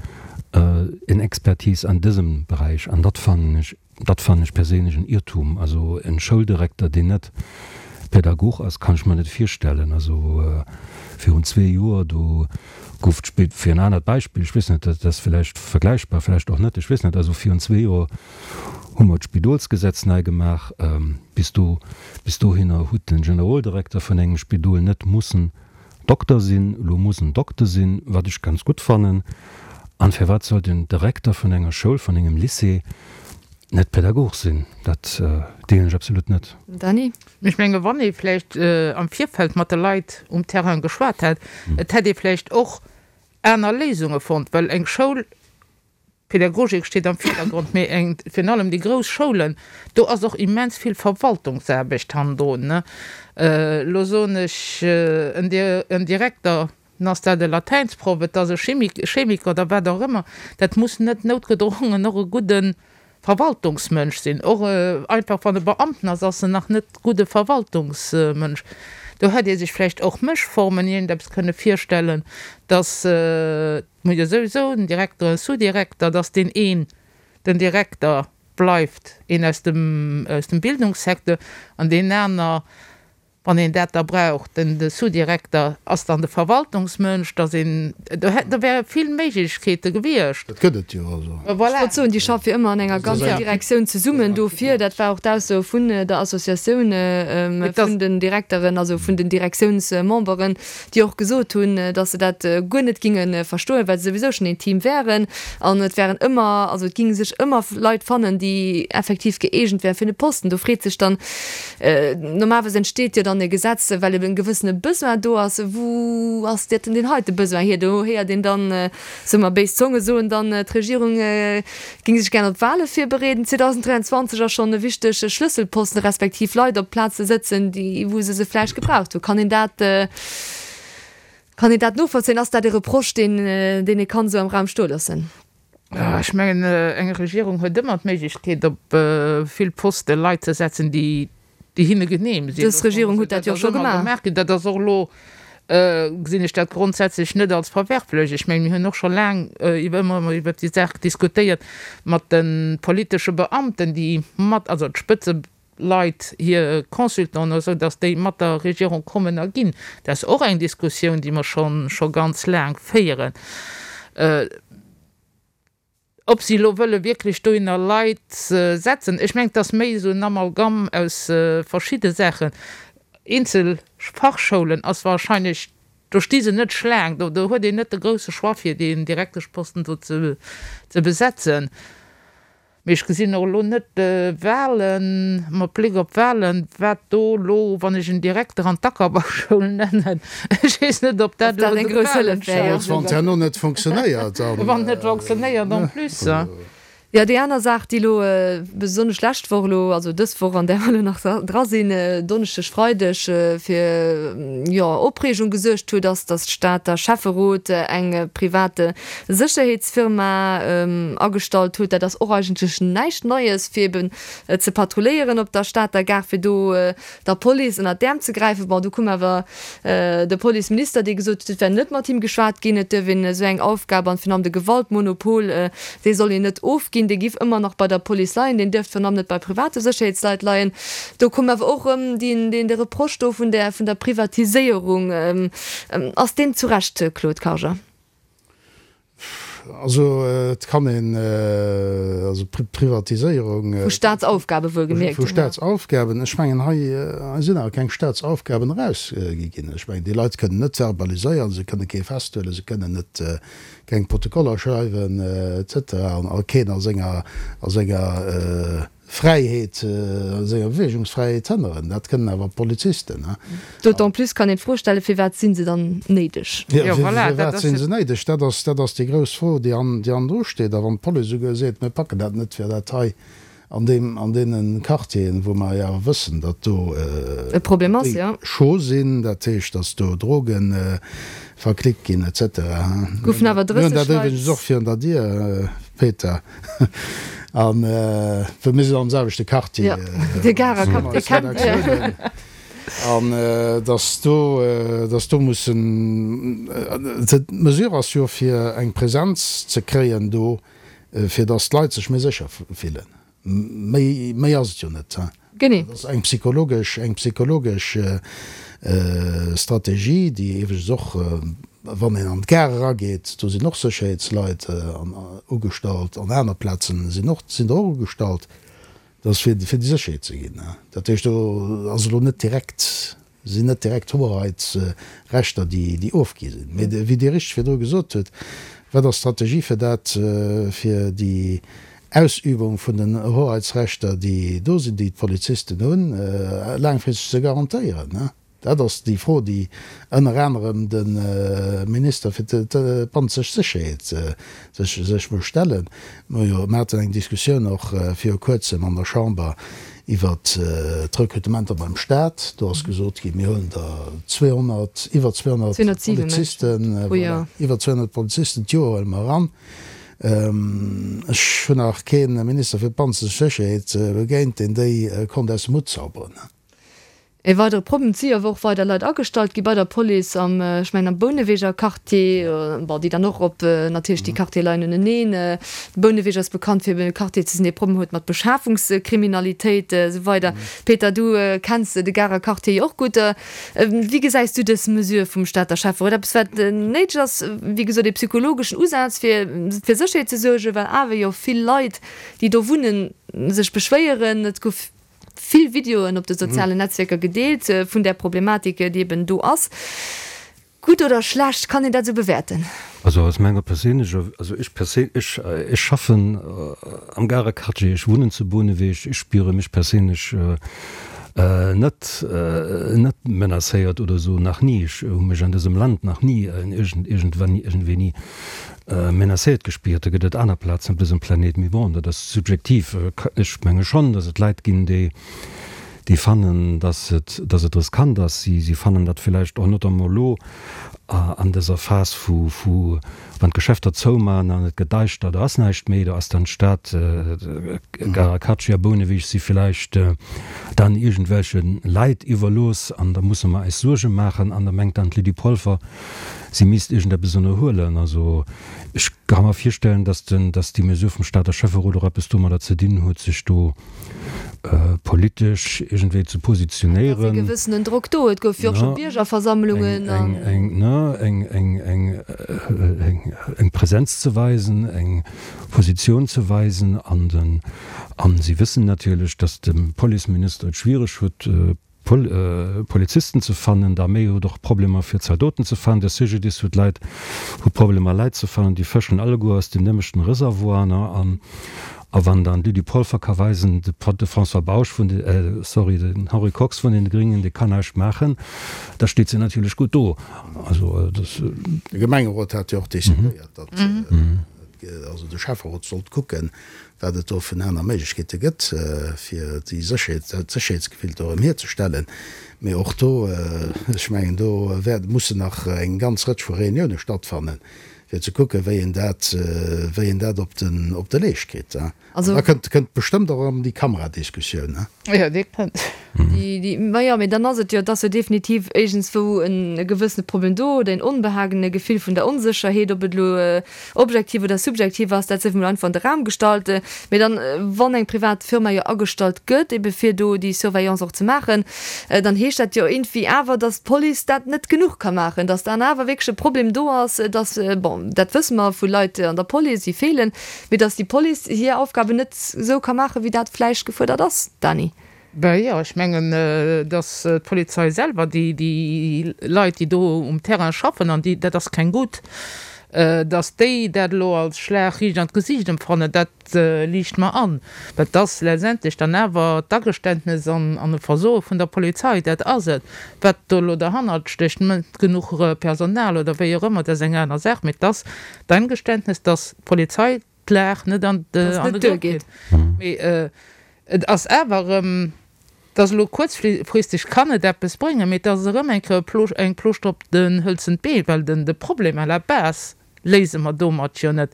en Expertise an dësem Beräich, an dat fannen ech Dat fannen ech perséinlech en Irrtum. Also en Schouldirekter deen net Pädagog ass, kann ech mer net virstellen. Also virun zwee Joer do. Gouf d'Spid, fir en anert Beispill, ech weess net, dat ass vläicht vergläichbar, vläicht och net, ech weess net, also virun zwee Joer hu mer d'Spidolsgesetz nei gemaach. Bis do, bis dohinner hutt de Generoldirekter vun engem Spidol net mussen Dokter sinn. Elo muss en Dokter sinn, wat ech ganz gutt fannen. An firwat soll den Direkter vun enger Schoul, vun engem Lycée net Pädagog sinn? Dat deelen ech absolut net. Dany? Ech menge wann ee vläicht am Virfeld mat de Leit um Terrain geschwat hätt, et hätt ee vläicht och aner Léisunge fonnt, well eng Schoul, d'Pädagogik steet am Virdergrond, mee eng, virun allem déi grouss Schoulen, do ass och immens vill Verwaltungsaarbecht hannendrun. Elo soen ech en Direkter, dann ass dat e Latäinsproff, et ass e Chemiker oder wat och ëmmer, dat muss net noutgedrongen och e gudde Verwaltungsmënsch sinn. Och einfach wann e Beamten ass, ass en nach net gudde Verwaltungsmënsch. Do hätt ee sech vläicht och Mëschformen iergendeppes kënne virstellen, datt, et muss jo souwisou en Direkter, e Sous-Direkter, datt deen een den Direkter bleift, een aus dem, aus dem Bildungssecteur an deen aner, wann een dat da brauch, den de Sous-Direkter ass dann de Verwaltungsmënsch, dass een, do hätt, do wäre vill Méiglechkeete gewiescht. Dat gëtt et jo also. Voilà. Ech wollt soen, déi schaffe jo ëmmer an enger ganzer Direktioun zesummen dofir. Dat war och d'Ausso vun der Associatioun vun den Direkteren, also vun den Direktiounsmemberen, déi och gesot hunn, dass se dat guer net ginge verstoen, well se souwisou schonn een Team wären an et wären ëmmer, also et ginge sech ëmmer Leit fannen, déi effektiv gëeegent wären fir de Posten. Do freet sech dann, normalerweis entsteet jo dann e Gesetz, well eben e gewëssene Besoin do ass. Wou ass dat denn deen heite Besoin hier? Do héiert een dann, soe mer, béis Zonge soen dann, d'Regierung Géing sech gären op d'Wale virbereeden. 2023 ass schonn e wichteg Schlësselposten, respektiv Leit op Plaze sëtzen, déi wou se se vläicht gebraucht hunn. Kann een dat, kann een dat novollzéien? Ass dat e Reproche, deen, deen ee kann esou am Raum stoe loossen? Ech mengen, eng Regierung huet ëmmer d'Méiglechkeet, op vill Poste Leit ze setzen, déi déi hinne genehm sinn. Dës Regierung huet dat jo scho gemaach. Dat ass och elo, gesinn ech dat grondsätzlech net als verwerflech. Ech mengen, mir hunn och scho laang iwwer, ëmmer erëm iwwert déi Saach diskutéiert mat de politesche Beamten, déi mat, also d'Spëtzeleit, hir Consultanten oder esou, datt déi mat der Regierung kommen a ginn. Dat ass och eng Diskussioun, déi mer scho ganz laang féieren. Ob si elo wëlle wierklech dohinner Leit setzen, ech mengen, et ass méi esou en Amalgam aus verschidde Saachen. Eenzel Fachschoulen ass wahrscheinlech, do sti se net Schlaang, do huet een net de grousse Choix fir deen Direkteschposten do ze besetzen. Mee ech gesinn och elo net d'Wahlen, mat Bléck op d'Wahlen, wat do elo, wann ech en Direkter an d'Ackerbauschoul nennen, ech weess net, ob dat elo eng grouss Hëllef wär. Wann et herno net funktionéiert, dann. Wann et net funktionéiert en plus. Jo, déi aner Saach, déi elo besonnesch lescht Woch elo, also dës Woch, an där mer elo nach dra sinn, Donneschdeg, Freideg, fir, jo, Opreegung gesuergt huet, ass, datt d'Stater Schäfferot eng private Sécherheetsfirma agestallt huet. Dat ass och eigentlech näischt Neies, fir eben ze patrulléieren op der Stater Gare, fir do der Police ënnert d'Äerm ze gräifen. Bon, do koum awer de Policeminister, dee gesot huet, et wär net mat him geschwat ginn, et duerf een esou eng Aufgab an virun allem de Gewaltmonopol, dee soll een net ofginn, dee giff ëmmer nach bei der Police leien, deen duerft virun allem net bei private Sécherheetsleit leien. Do koum awer och erëm deen de Reproche do vun der vun der Privatiséierung. Ass deen zu Recht, Claude Karger? Also et kann een, also Privatiséierung. Vu Staatsaufgabe wuelgemierkt. Vu Staatsaufgaben. Ech mengen, hei sinn awer keng Staatsaufgaben erausgi ginn. Ech mengen, déi Leit kënnen net verbaliséieren, se kënne kee festhuelen, se kënnen net, keng Protokoller schreiwen et cetera an keen a senger, a senger Fräiheet, senger Beweegungsfräiheet hënneren. Dat kënnen awer Polizisten. D'autant plus kann een d'Fro stellen, Firwat si se dann néideg? Jo, firwat si se néideg? Dat ass, dat ass déi grouss Fro, déi an, déi hannendru steet. A wann d'Police esouguer seet, mir packen dat net, fir dat hei an deem, an deene Quartieren, wou mer jo awer wëssen, datt do E Problem ass, jo. Chaud sinn, dat heescht, datt do Droge verklickt ginn et cetera. Goufen awer 30 Leit. Mir hunn dat iwwregens och virun der Dier, Peter. An well mir sinn am selwechte Quartier. Jo, de Garer Quartier kennt Dir. An dass do, dass do mussen, d'Mesure ass jo fir eng Präsenz ze kréien do, fir dass d'Leit sech méi sécher fillen. Méi, méi ass et jo net. Genee. Dat ass eng psychologesch, eng psychologesch Strategie, déi iwwregens och. Wann een an d'Gare erageet, do sinn och Sécherheetsleit ugestallt, an aner Plazen sinn och, sinn der och ugestallt. Dat ass fir, fir déi Sécherheet ze ginn. Dat heescht, do ass elo net direkt, sinn net direkt Hoheitsrechter, déi, déi ofgi sinn. Mee wéi Dir richteg virdru gesot hutt, wat ass d'Strategie fir dat, fir déi Ausübung vun den Hoheitsrechter, déi do sinn, déi d'Polizisten hunn, laangfristeg ze garantéieren? Dat ass déi Fro, déi ënner anerem de Minister fir d'bannenzeg Sécherheet sech muss stellen. Mir haten eng Diskussioun och viru Kuerzem an der Chamber iwwert d'Rekrutementer beim Staat. Do ass gesot ginn, mir huelen der 200, iwwer 200 Polizisten, voilà, iwwer 200 Polizisten d'Joer huele mer eran. Ech hunn nach kee Minister fir d'bannenzeg Sécherheet begéint, deen déi konnt aus dem Hutt zauberen. E weidere Problem, et si jo awer och weider Leit agestallt gi bei der Police am, ech mengen am Bouneweger Quartier, bon, déi dann och op natierlech déi Quartiere leien uneneen. De Bouneweg ass bekannt fir e Quartier ze sinn, dee Problem huet mat Beschafungskriminalitéit esou weider. Peter, du kenns de Garer Quartier jo och gutt. Wéi gesäis du dës Mesure vum Stater Schäfferot? Eppes wat néideg ass, wéi gesot ee psychologeschen Usaz fir fir Sécherheet ze suergen, well awer jo vill Leit, déi do wunnen, sech beschwéieren. Et gouf vill Videoen op de sozialen Netzwierker gedeelt vun där Problematik, déi eben do ass. Gutt oder schlecht, kann een dat esou bewäerten? Also aus menger perséinlecher, also ech perséin, ech, ech schaffen am Garer Quartier, ech wunnen zu Bouneweg, ech spiere mech perséinlech net, net menacéiert oder esou, nach ni. Ech hu mech an dësem Land nach ni iergend, iergendwann, iergendwéini Menacéiert gespiert. Da gëtt et aner Plazen op dësem Planet, mee bon, dat ass subjektiv. Ech menge schonn, datt et Leit ginn, déi, déi fannen, datt et, datt et riskant ass. Si, si fannen dat villäicht och notamment elo an dëser Phas vu, vu wann d'Geschäfter zouman an et gëtt daischter, do ass näischt méi, do ass dann d'Stad, Karakachi a Bouneweg si villäicht dann iergendwelche Leit iwwerlooss an da musse mer eis Suerge maachen an da mengt dann d'Lydie Polfer, Si misst iergendeppes ënnerhuelen. Also ech ka mer virstellen, dass den, dass déi Mesure vum Stater Schäfferot och eppes domadder ze dinn huet, sech do politesch iergendwéi ze Et ass e positionéieren. gewëssenen Drock do. Et gouf jo och scho Biergerversammlungen an. Eng, eng, ne, eng, eng, eng, eng, eng Präsenz ze weisen, eng Positioun ze weisen. An den, an si wëssen natierlech, dass de Policeminister et schwiereg huet, Polizisten ze fannen, d'Arméi huet och Problemer fir Zaldoten ze fannen, de CGDIS huet Leit, hu Problemer Leit ze fannen, déi fëschen alleguer aus dem nämlechten Reservoir, ne, an a wann dann d'Lydie Polfer ka weisen, de de François Bausch vun de, sorry, den Henri Kox vun den Gringen, dee kann näischt maachen, da steet se natierlech gutt do. Also dat. De Gemengerot hat jo och decidéiert, datt, also de Schäfferot sollt kucken, wat et do vun aner Méiglechkeete gëtt, fir déi Sécherheet, dat Sécherheetsgefill do erëm hierzestellen. Mee och do, ech mengen, do wäert, mussen nach eng ganz Rëtsch vu Reunioune stattfannen, fir ze kucken, wéi een dat, wéi een dat op den, op de Leescht kritt. An da kënnt, kënnt bestëmmt och erëm déi Kameradiskussioun. Jo, déi kënnt. Déi, déi, majo, mee dann ass et jo, et ass jo definitiv iergendswou en e gewëssene Problem do oder een Onbehagen, e Gefill vun der Onsécherheet, ob et elo objektiv oder subjektiv ass, dat sief emol einfach an de Raum gestallt. Mee dann, wann eng privat Firma jo agestallt gëtt, ebe fir do déi Surveillance och ze maachen, dann heescht dat jo iergendwéi awer, datt d'Police dat net genuch ka maachen, datt dann awer wierklech e Problem do ass, datt, bon, dat wësse mer vu Leit an der Police, déi feelen, mee datt déi Police hir Aufgaben net esou ka maachen, wéi dat vläicht gefuerdert ass. Dany. Ben jo, ech mengen, datt d'Polizei selwer, déi, déi Leit, déi do um Terrain schaffen, an déi, dat ass keng gutt, datt déi dat elo als Schlag riicht an d'Gesiicht empfannen, dat liicht mer an. Well et ass letztendlech dann awer d'Ageständnes an an e Versoe vun der Polizei, dat ass et. Wat do elo derhannert stécht, net genuch Personal oder wéi och ëmmer, dat ass eng aner Saach, mee et ass d'Eingeständnes, datt d'Polizei d'Lag net an de Grëff kritt. Mee et ass awer erëm, et ass elo kuerzfristeg kann et eppes bréngen, mee et ass erëm eng Kéier eng Plooschter op den hëlzent Been, well den de Problem à la base léise mer domat jo net.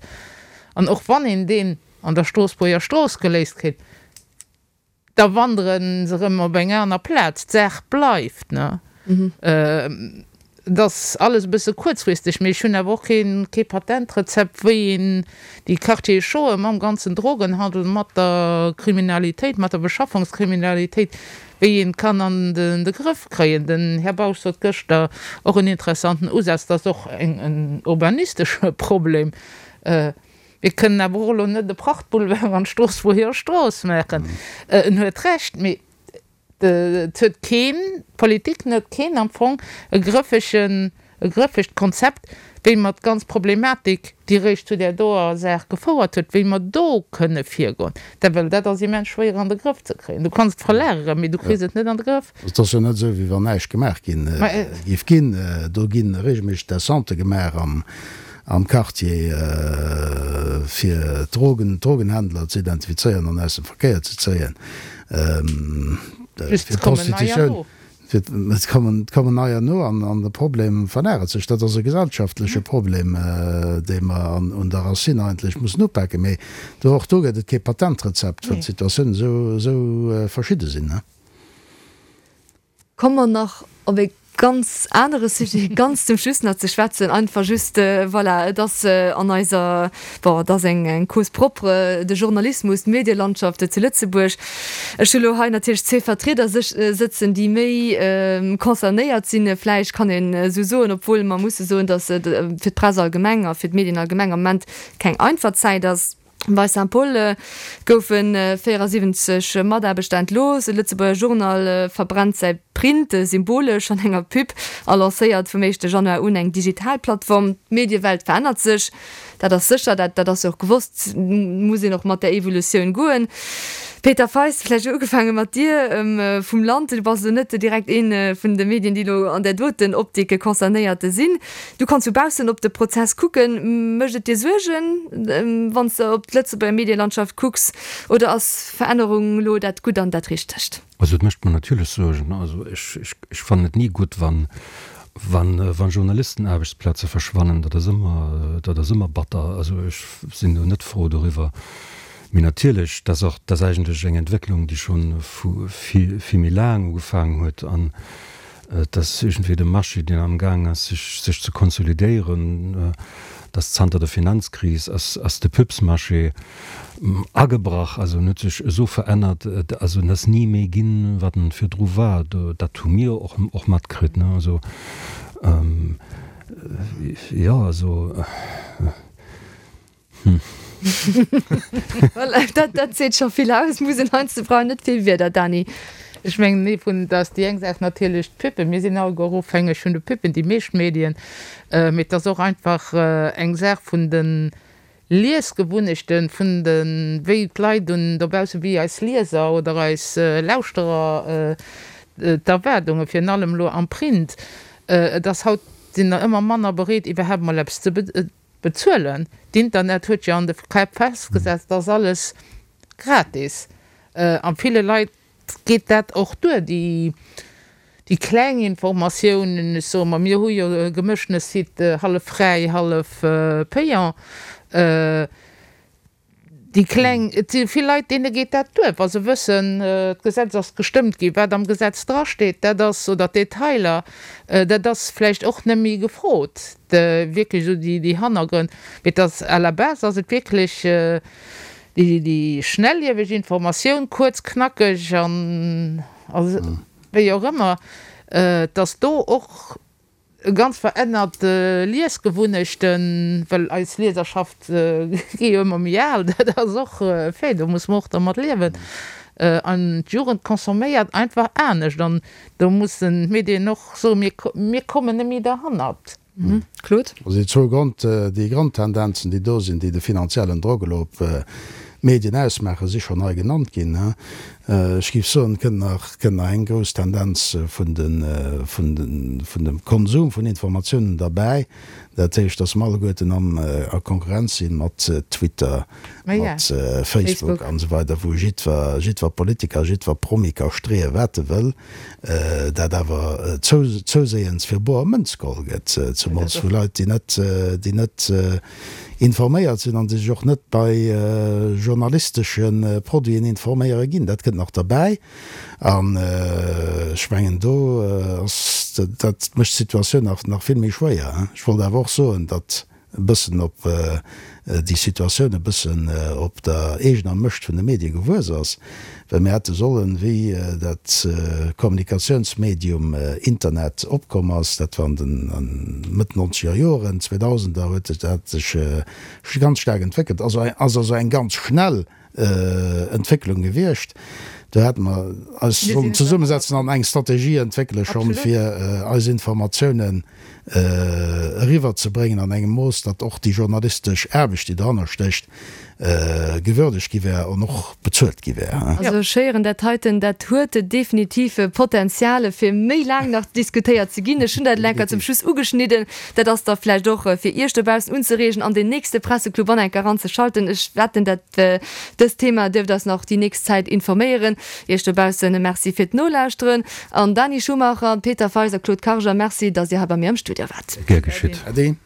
An och wann een deen an der Stroossbuerger Strooss geléist kritt, Da wandere se erëm op eng aner Plaz. D'Saach bleift, ne? Et ass alles e bësse kuerzfristeg, mee ech hunn awer och keen, kee Patentrezept, wéi een déi Quartiere chauden mam ganzen Drogenhandel, mat der Kriminalitéit, mat der Beschaffungskriminalitéit, Wéi een kann an de Grëff kréien. Den Här Bausch sot gëschter och en interessanten Usaz, dat ass och en urbanistesche Problem. Mir kënnen awer och elo net e Prachtboulevard an d'Stroossbuerger Strooss maachen. En huet Recht, mee et huet keen, d'Politik huet keen am Fong e grëffegen E grëffegt Konzept, wéi mer d'ganz Problematik, déi eréischt zu där doer Saach gefouert huet, wéi mer do kënne virgoen. Dat, well dat ass immens schwéier an de Grëff ze kréien. Du kanns et verlageren, mee du kriss et net an de Grëff. Et ass jo net esou, wéi wann näischt gemaach ginn géif ginn. Do gi regelméisseg Descentë gemaach am Quartier, fir d'Drogen, d'Drogenhändler ze identifizéieren an aus dem Verkéier ze zéien, Just, fir et kommen neier d'Prostitutioun. no. Et kommen neier no an de Problem verlagert sech. Dat ass e gesellschaftleche Problem, dee mer un der Racine eigentlech mussen upaken. Mee do, och do gëtt et kee Patentrezept, well d'Situatiounen esou verschidde sinn. Komme mer nach op e ganz anere Sujet ganz zum Schluss nach ze schwätzen. Einfach just, voilà, et ass an eiser, bon, et ass eng Cause propre, de Journalismus, d'Medielandschaft zu Lëtzebuerg. Ech hu lo hei natierlech zwee Vertrieder sëtzen, déi méi concernéiert sinn, vläicht kann een esou soen, obwuel mer musse soen, datt et fir d'Press allgemeng a fir d'Medien allgemeng am Moment keng einfach Zäit ass. Bei Saint-Paul goufe 74 Mataarbechter entlooss, e Lëtzebuerger Journal verbrennt säi Print symbolesch an enger Pub a lancéiert vum éischte Januar un eng digital Plattform. D'Mediewelt verännert sech. Dat ass sécher, dat, dat ass jo och gewosst, muss een och mat där Evolutioun goen. Peter Feist, vläicht ugefaange mat dir, vum Land, du bass elo net direkt ee vun de Medien, déi elo an där doten Optik concernéiert sinn. Du kanns vu baussen op de Prozess kucken. Mécht et dir Suergen, wann s de op d'Lëtzebuerger Medielandschaft kucks, oder ass Verännerung elo dat Gutt an dat Richtegt? Also et mécht mer natierlech Suergen. Also ech, ech, ech fannen et ni gutt, wann, wann, wann Journalistenaarbechtsplaze verschwannen. Dat ass ëmmer, dat ass ëmmer batter. Also ech sinn do net frou doriwwer. Mee natierlech, dat ass och, dat ass eigentlech eng Entwécklung, déi scho vu vill, vill méi laang ugefaangen huet. An Et ass iergendwéi de Marché, deen amgaang ass, sech, sech ze konsolidéieren. Et ass zanter der Finanzkris ass, ass de Pubsmarché agebrach. Also en huet sech esou verännert, also en ass ni méi ginn, wat en virdru war. Do, dat hu mir och, och matkritt, ne. Also, jo, also. Hm. Voilà, dat, dat seet scho vill aus. Muss een heiansdo brauch net vill Wierder, Dany. Ech mengen, nee, vun dass déi eng Saach natierlech d'Puppen, mir sinn alleguer ofhängeg vun de Puppen, déi meescht Medien, mee et ass och einfach eng Saach vun de Liesgewunnechten, vun de wéi d'Leit un dobaussen, wéi eis Lieser oder eis Lauschterer d'Erwaardungen, virun allem elo am Print, et ass haut sinn der ëmmer manner bereet iwwerhaapt mol eppes ze Bezuelen. D'Internet huet jo an de Käpp festgesetzt, dass alles gratis. A ville Leit geet dat och duer, déi déi kleng Informatiounen. Ech soe mer, mir hu jo e gemëschtene Site, hallef fräi, hallef payant. Déi kleng, et si vill Leit, deene geet dat duer, wa se wëssen, d'Gesetz ass gestëmmt ginn, wat am Gesetz drasteet, dat ass, oder d'Detailer, dat ass vläicht och net méi gefrot, wierklech esou déi Hannergrënn. Mee et ass à la base ass et wierklech déi schnellieweg Informatioun, kuerz, knackeg an wéi och ëmmer, dass do och Ganz verännert Liesgewunnechten, well eis Lieserschaft gi jo ëmmer méi al, dat ass och e Fait, do musse mer och dermat liewen. An d'Jugend consomméiert einfach anescht an do mussen d'Medien och soen, mir, mir kommen net méi derhannert. Claude? Also déi zwou Grond, déi Grondtendenzen, déi do sinn, déi de finanziellen Drock elo op d'Medien ausmaachen, si schonn hei genannt ginn. Ech géif soen, et kënnt nach, kënnt nach eng grouss Tendenz vun de, vun de, vun dem Konsum vun Informatiounen derbäi. Dat heescht, dass mer alleguerten am, a Konkurrenz si mat Twitter, mat Facebook an esou weider, wou jiddwer, jiddwer Politiker, jiddwer Promi ka streeë wat e wëll, dat awer zou, zouséiends fir boer Mënz geholl gëtt, zemools vu Leit, déi net, déi net informéiert sinn an déi sech och net bei journalistesche Produiten informéiere ginn. Dat kënnt nach derbäi. An ech mengen, do ass, dat mécht d'Situatioun nach, nach vill méi schwéier. Ech wollt awer och soen, datt. e bëssen op déi Situatioun e bëssen op der eegener Mëscht vun de Medie gewuess ass, well mir hätte sollen, wéi dat Kommunikatiounsmedium Internet opkomm ass, dat war an den Mëtt nonzeger Joren, Zweedausender huet dat sech ganz staark entwéckelt, ass also eng ganz schnell Entwécklung gewiescht. Do hätte mer eis sollen zesummesetzen an eng Strategie entwéckele schonn, fir eis Informatiounen eriwwerzebréngen an engem Mooss, datt och déi journalistesch Aarbecht, déi dohanner stécht, gewürdegt gi wär an och bezuelt gi wär. Also ech héieren dat heiten, dat huet definitiv Potenzial, fir méi laang nach diskutéiert ze ginn. Ech hunn dat elo enker zum Schluss ugeschnidden. Dat ass da vläicht och fir Iech dobaussen unzereegen, an den nächste Presseclub an enker eranzeschalten. Ech wetten, dat dëst Thema dierft eis nach déi nächst Zäit informéieren. Iech dobaussen e Merci fir d'Nolauschteren. An Dani Schumacher, Peter Feis a Claude Karger, Merci, datt Dir hei bei mir am Studio waart. Gär geschitt. Ade.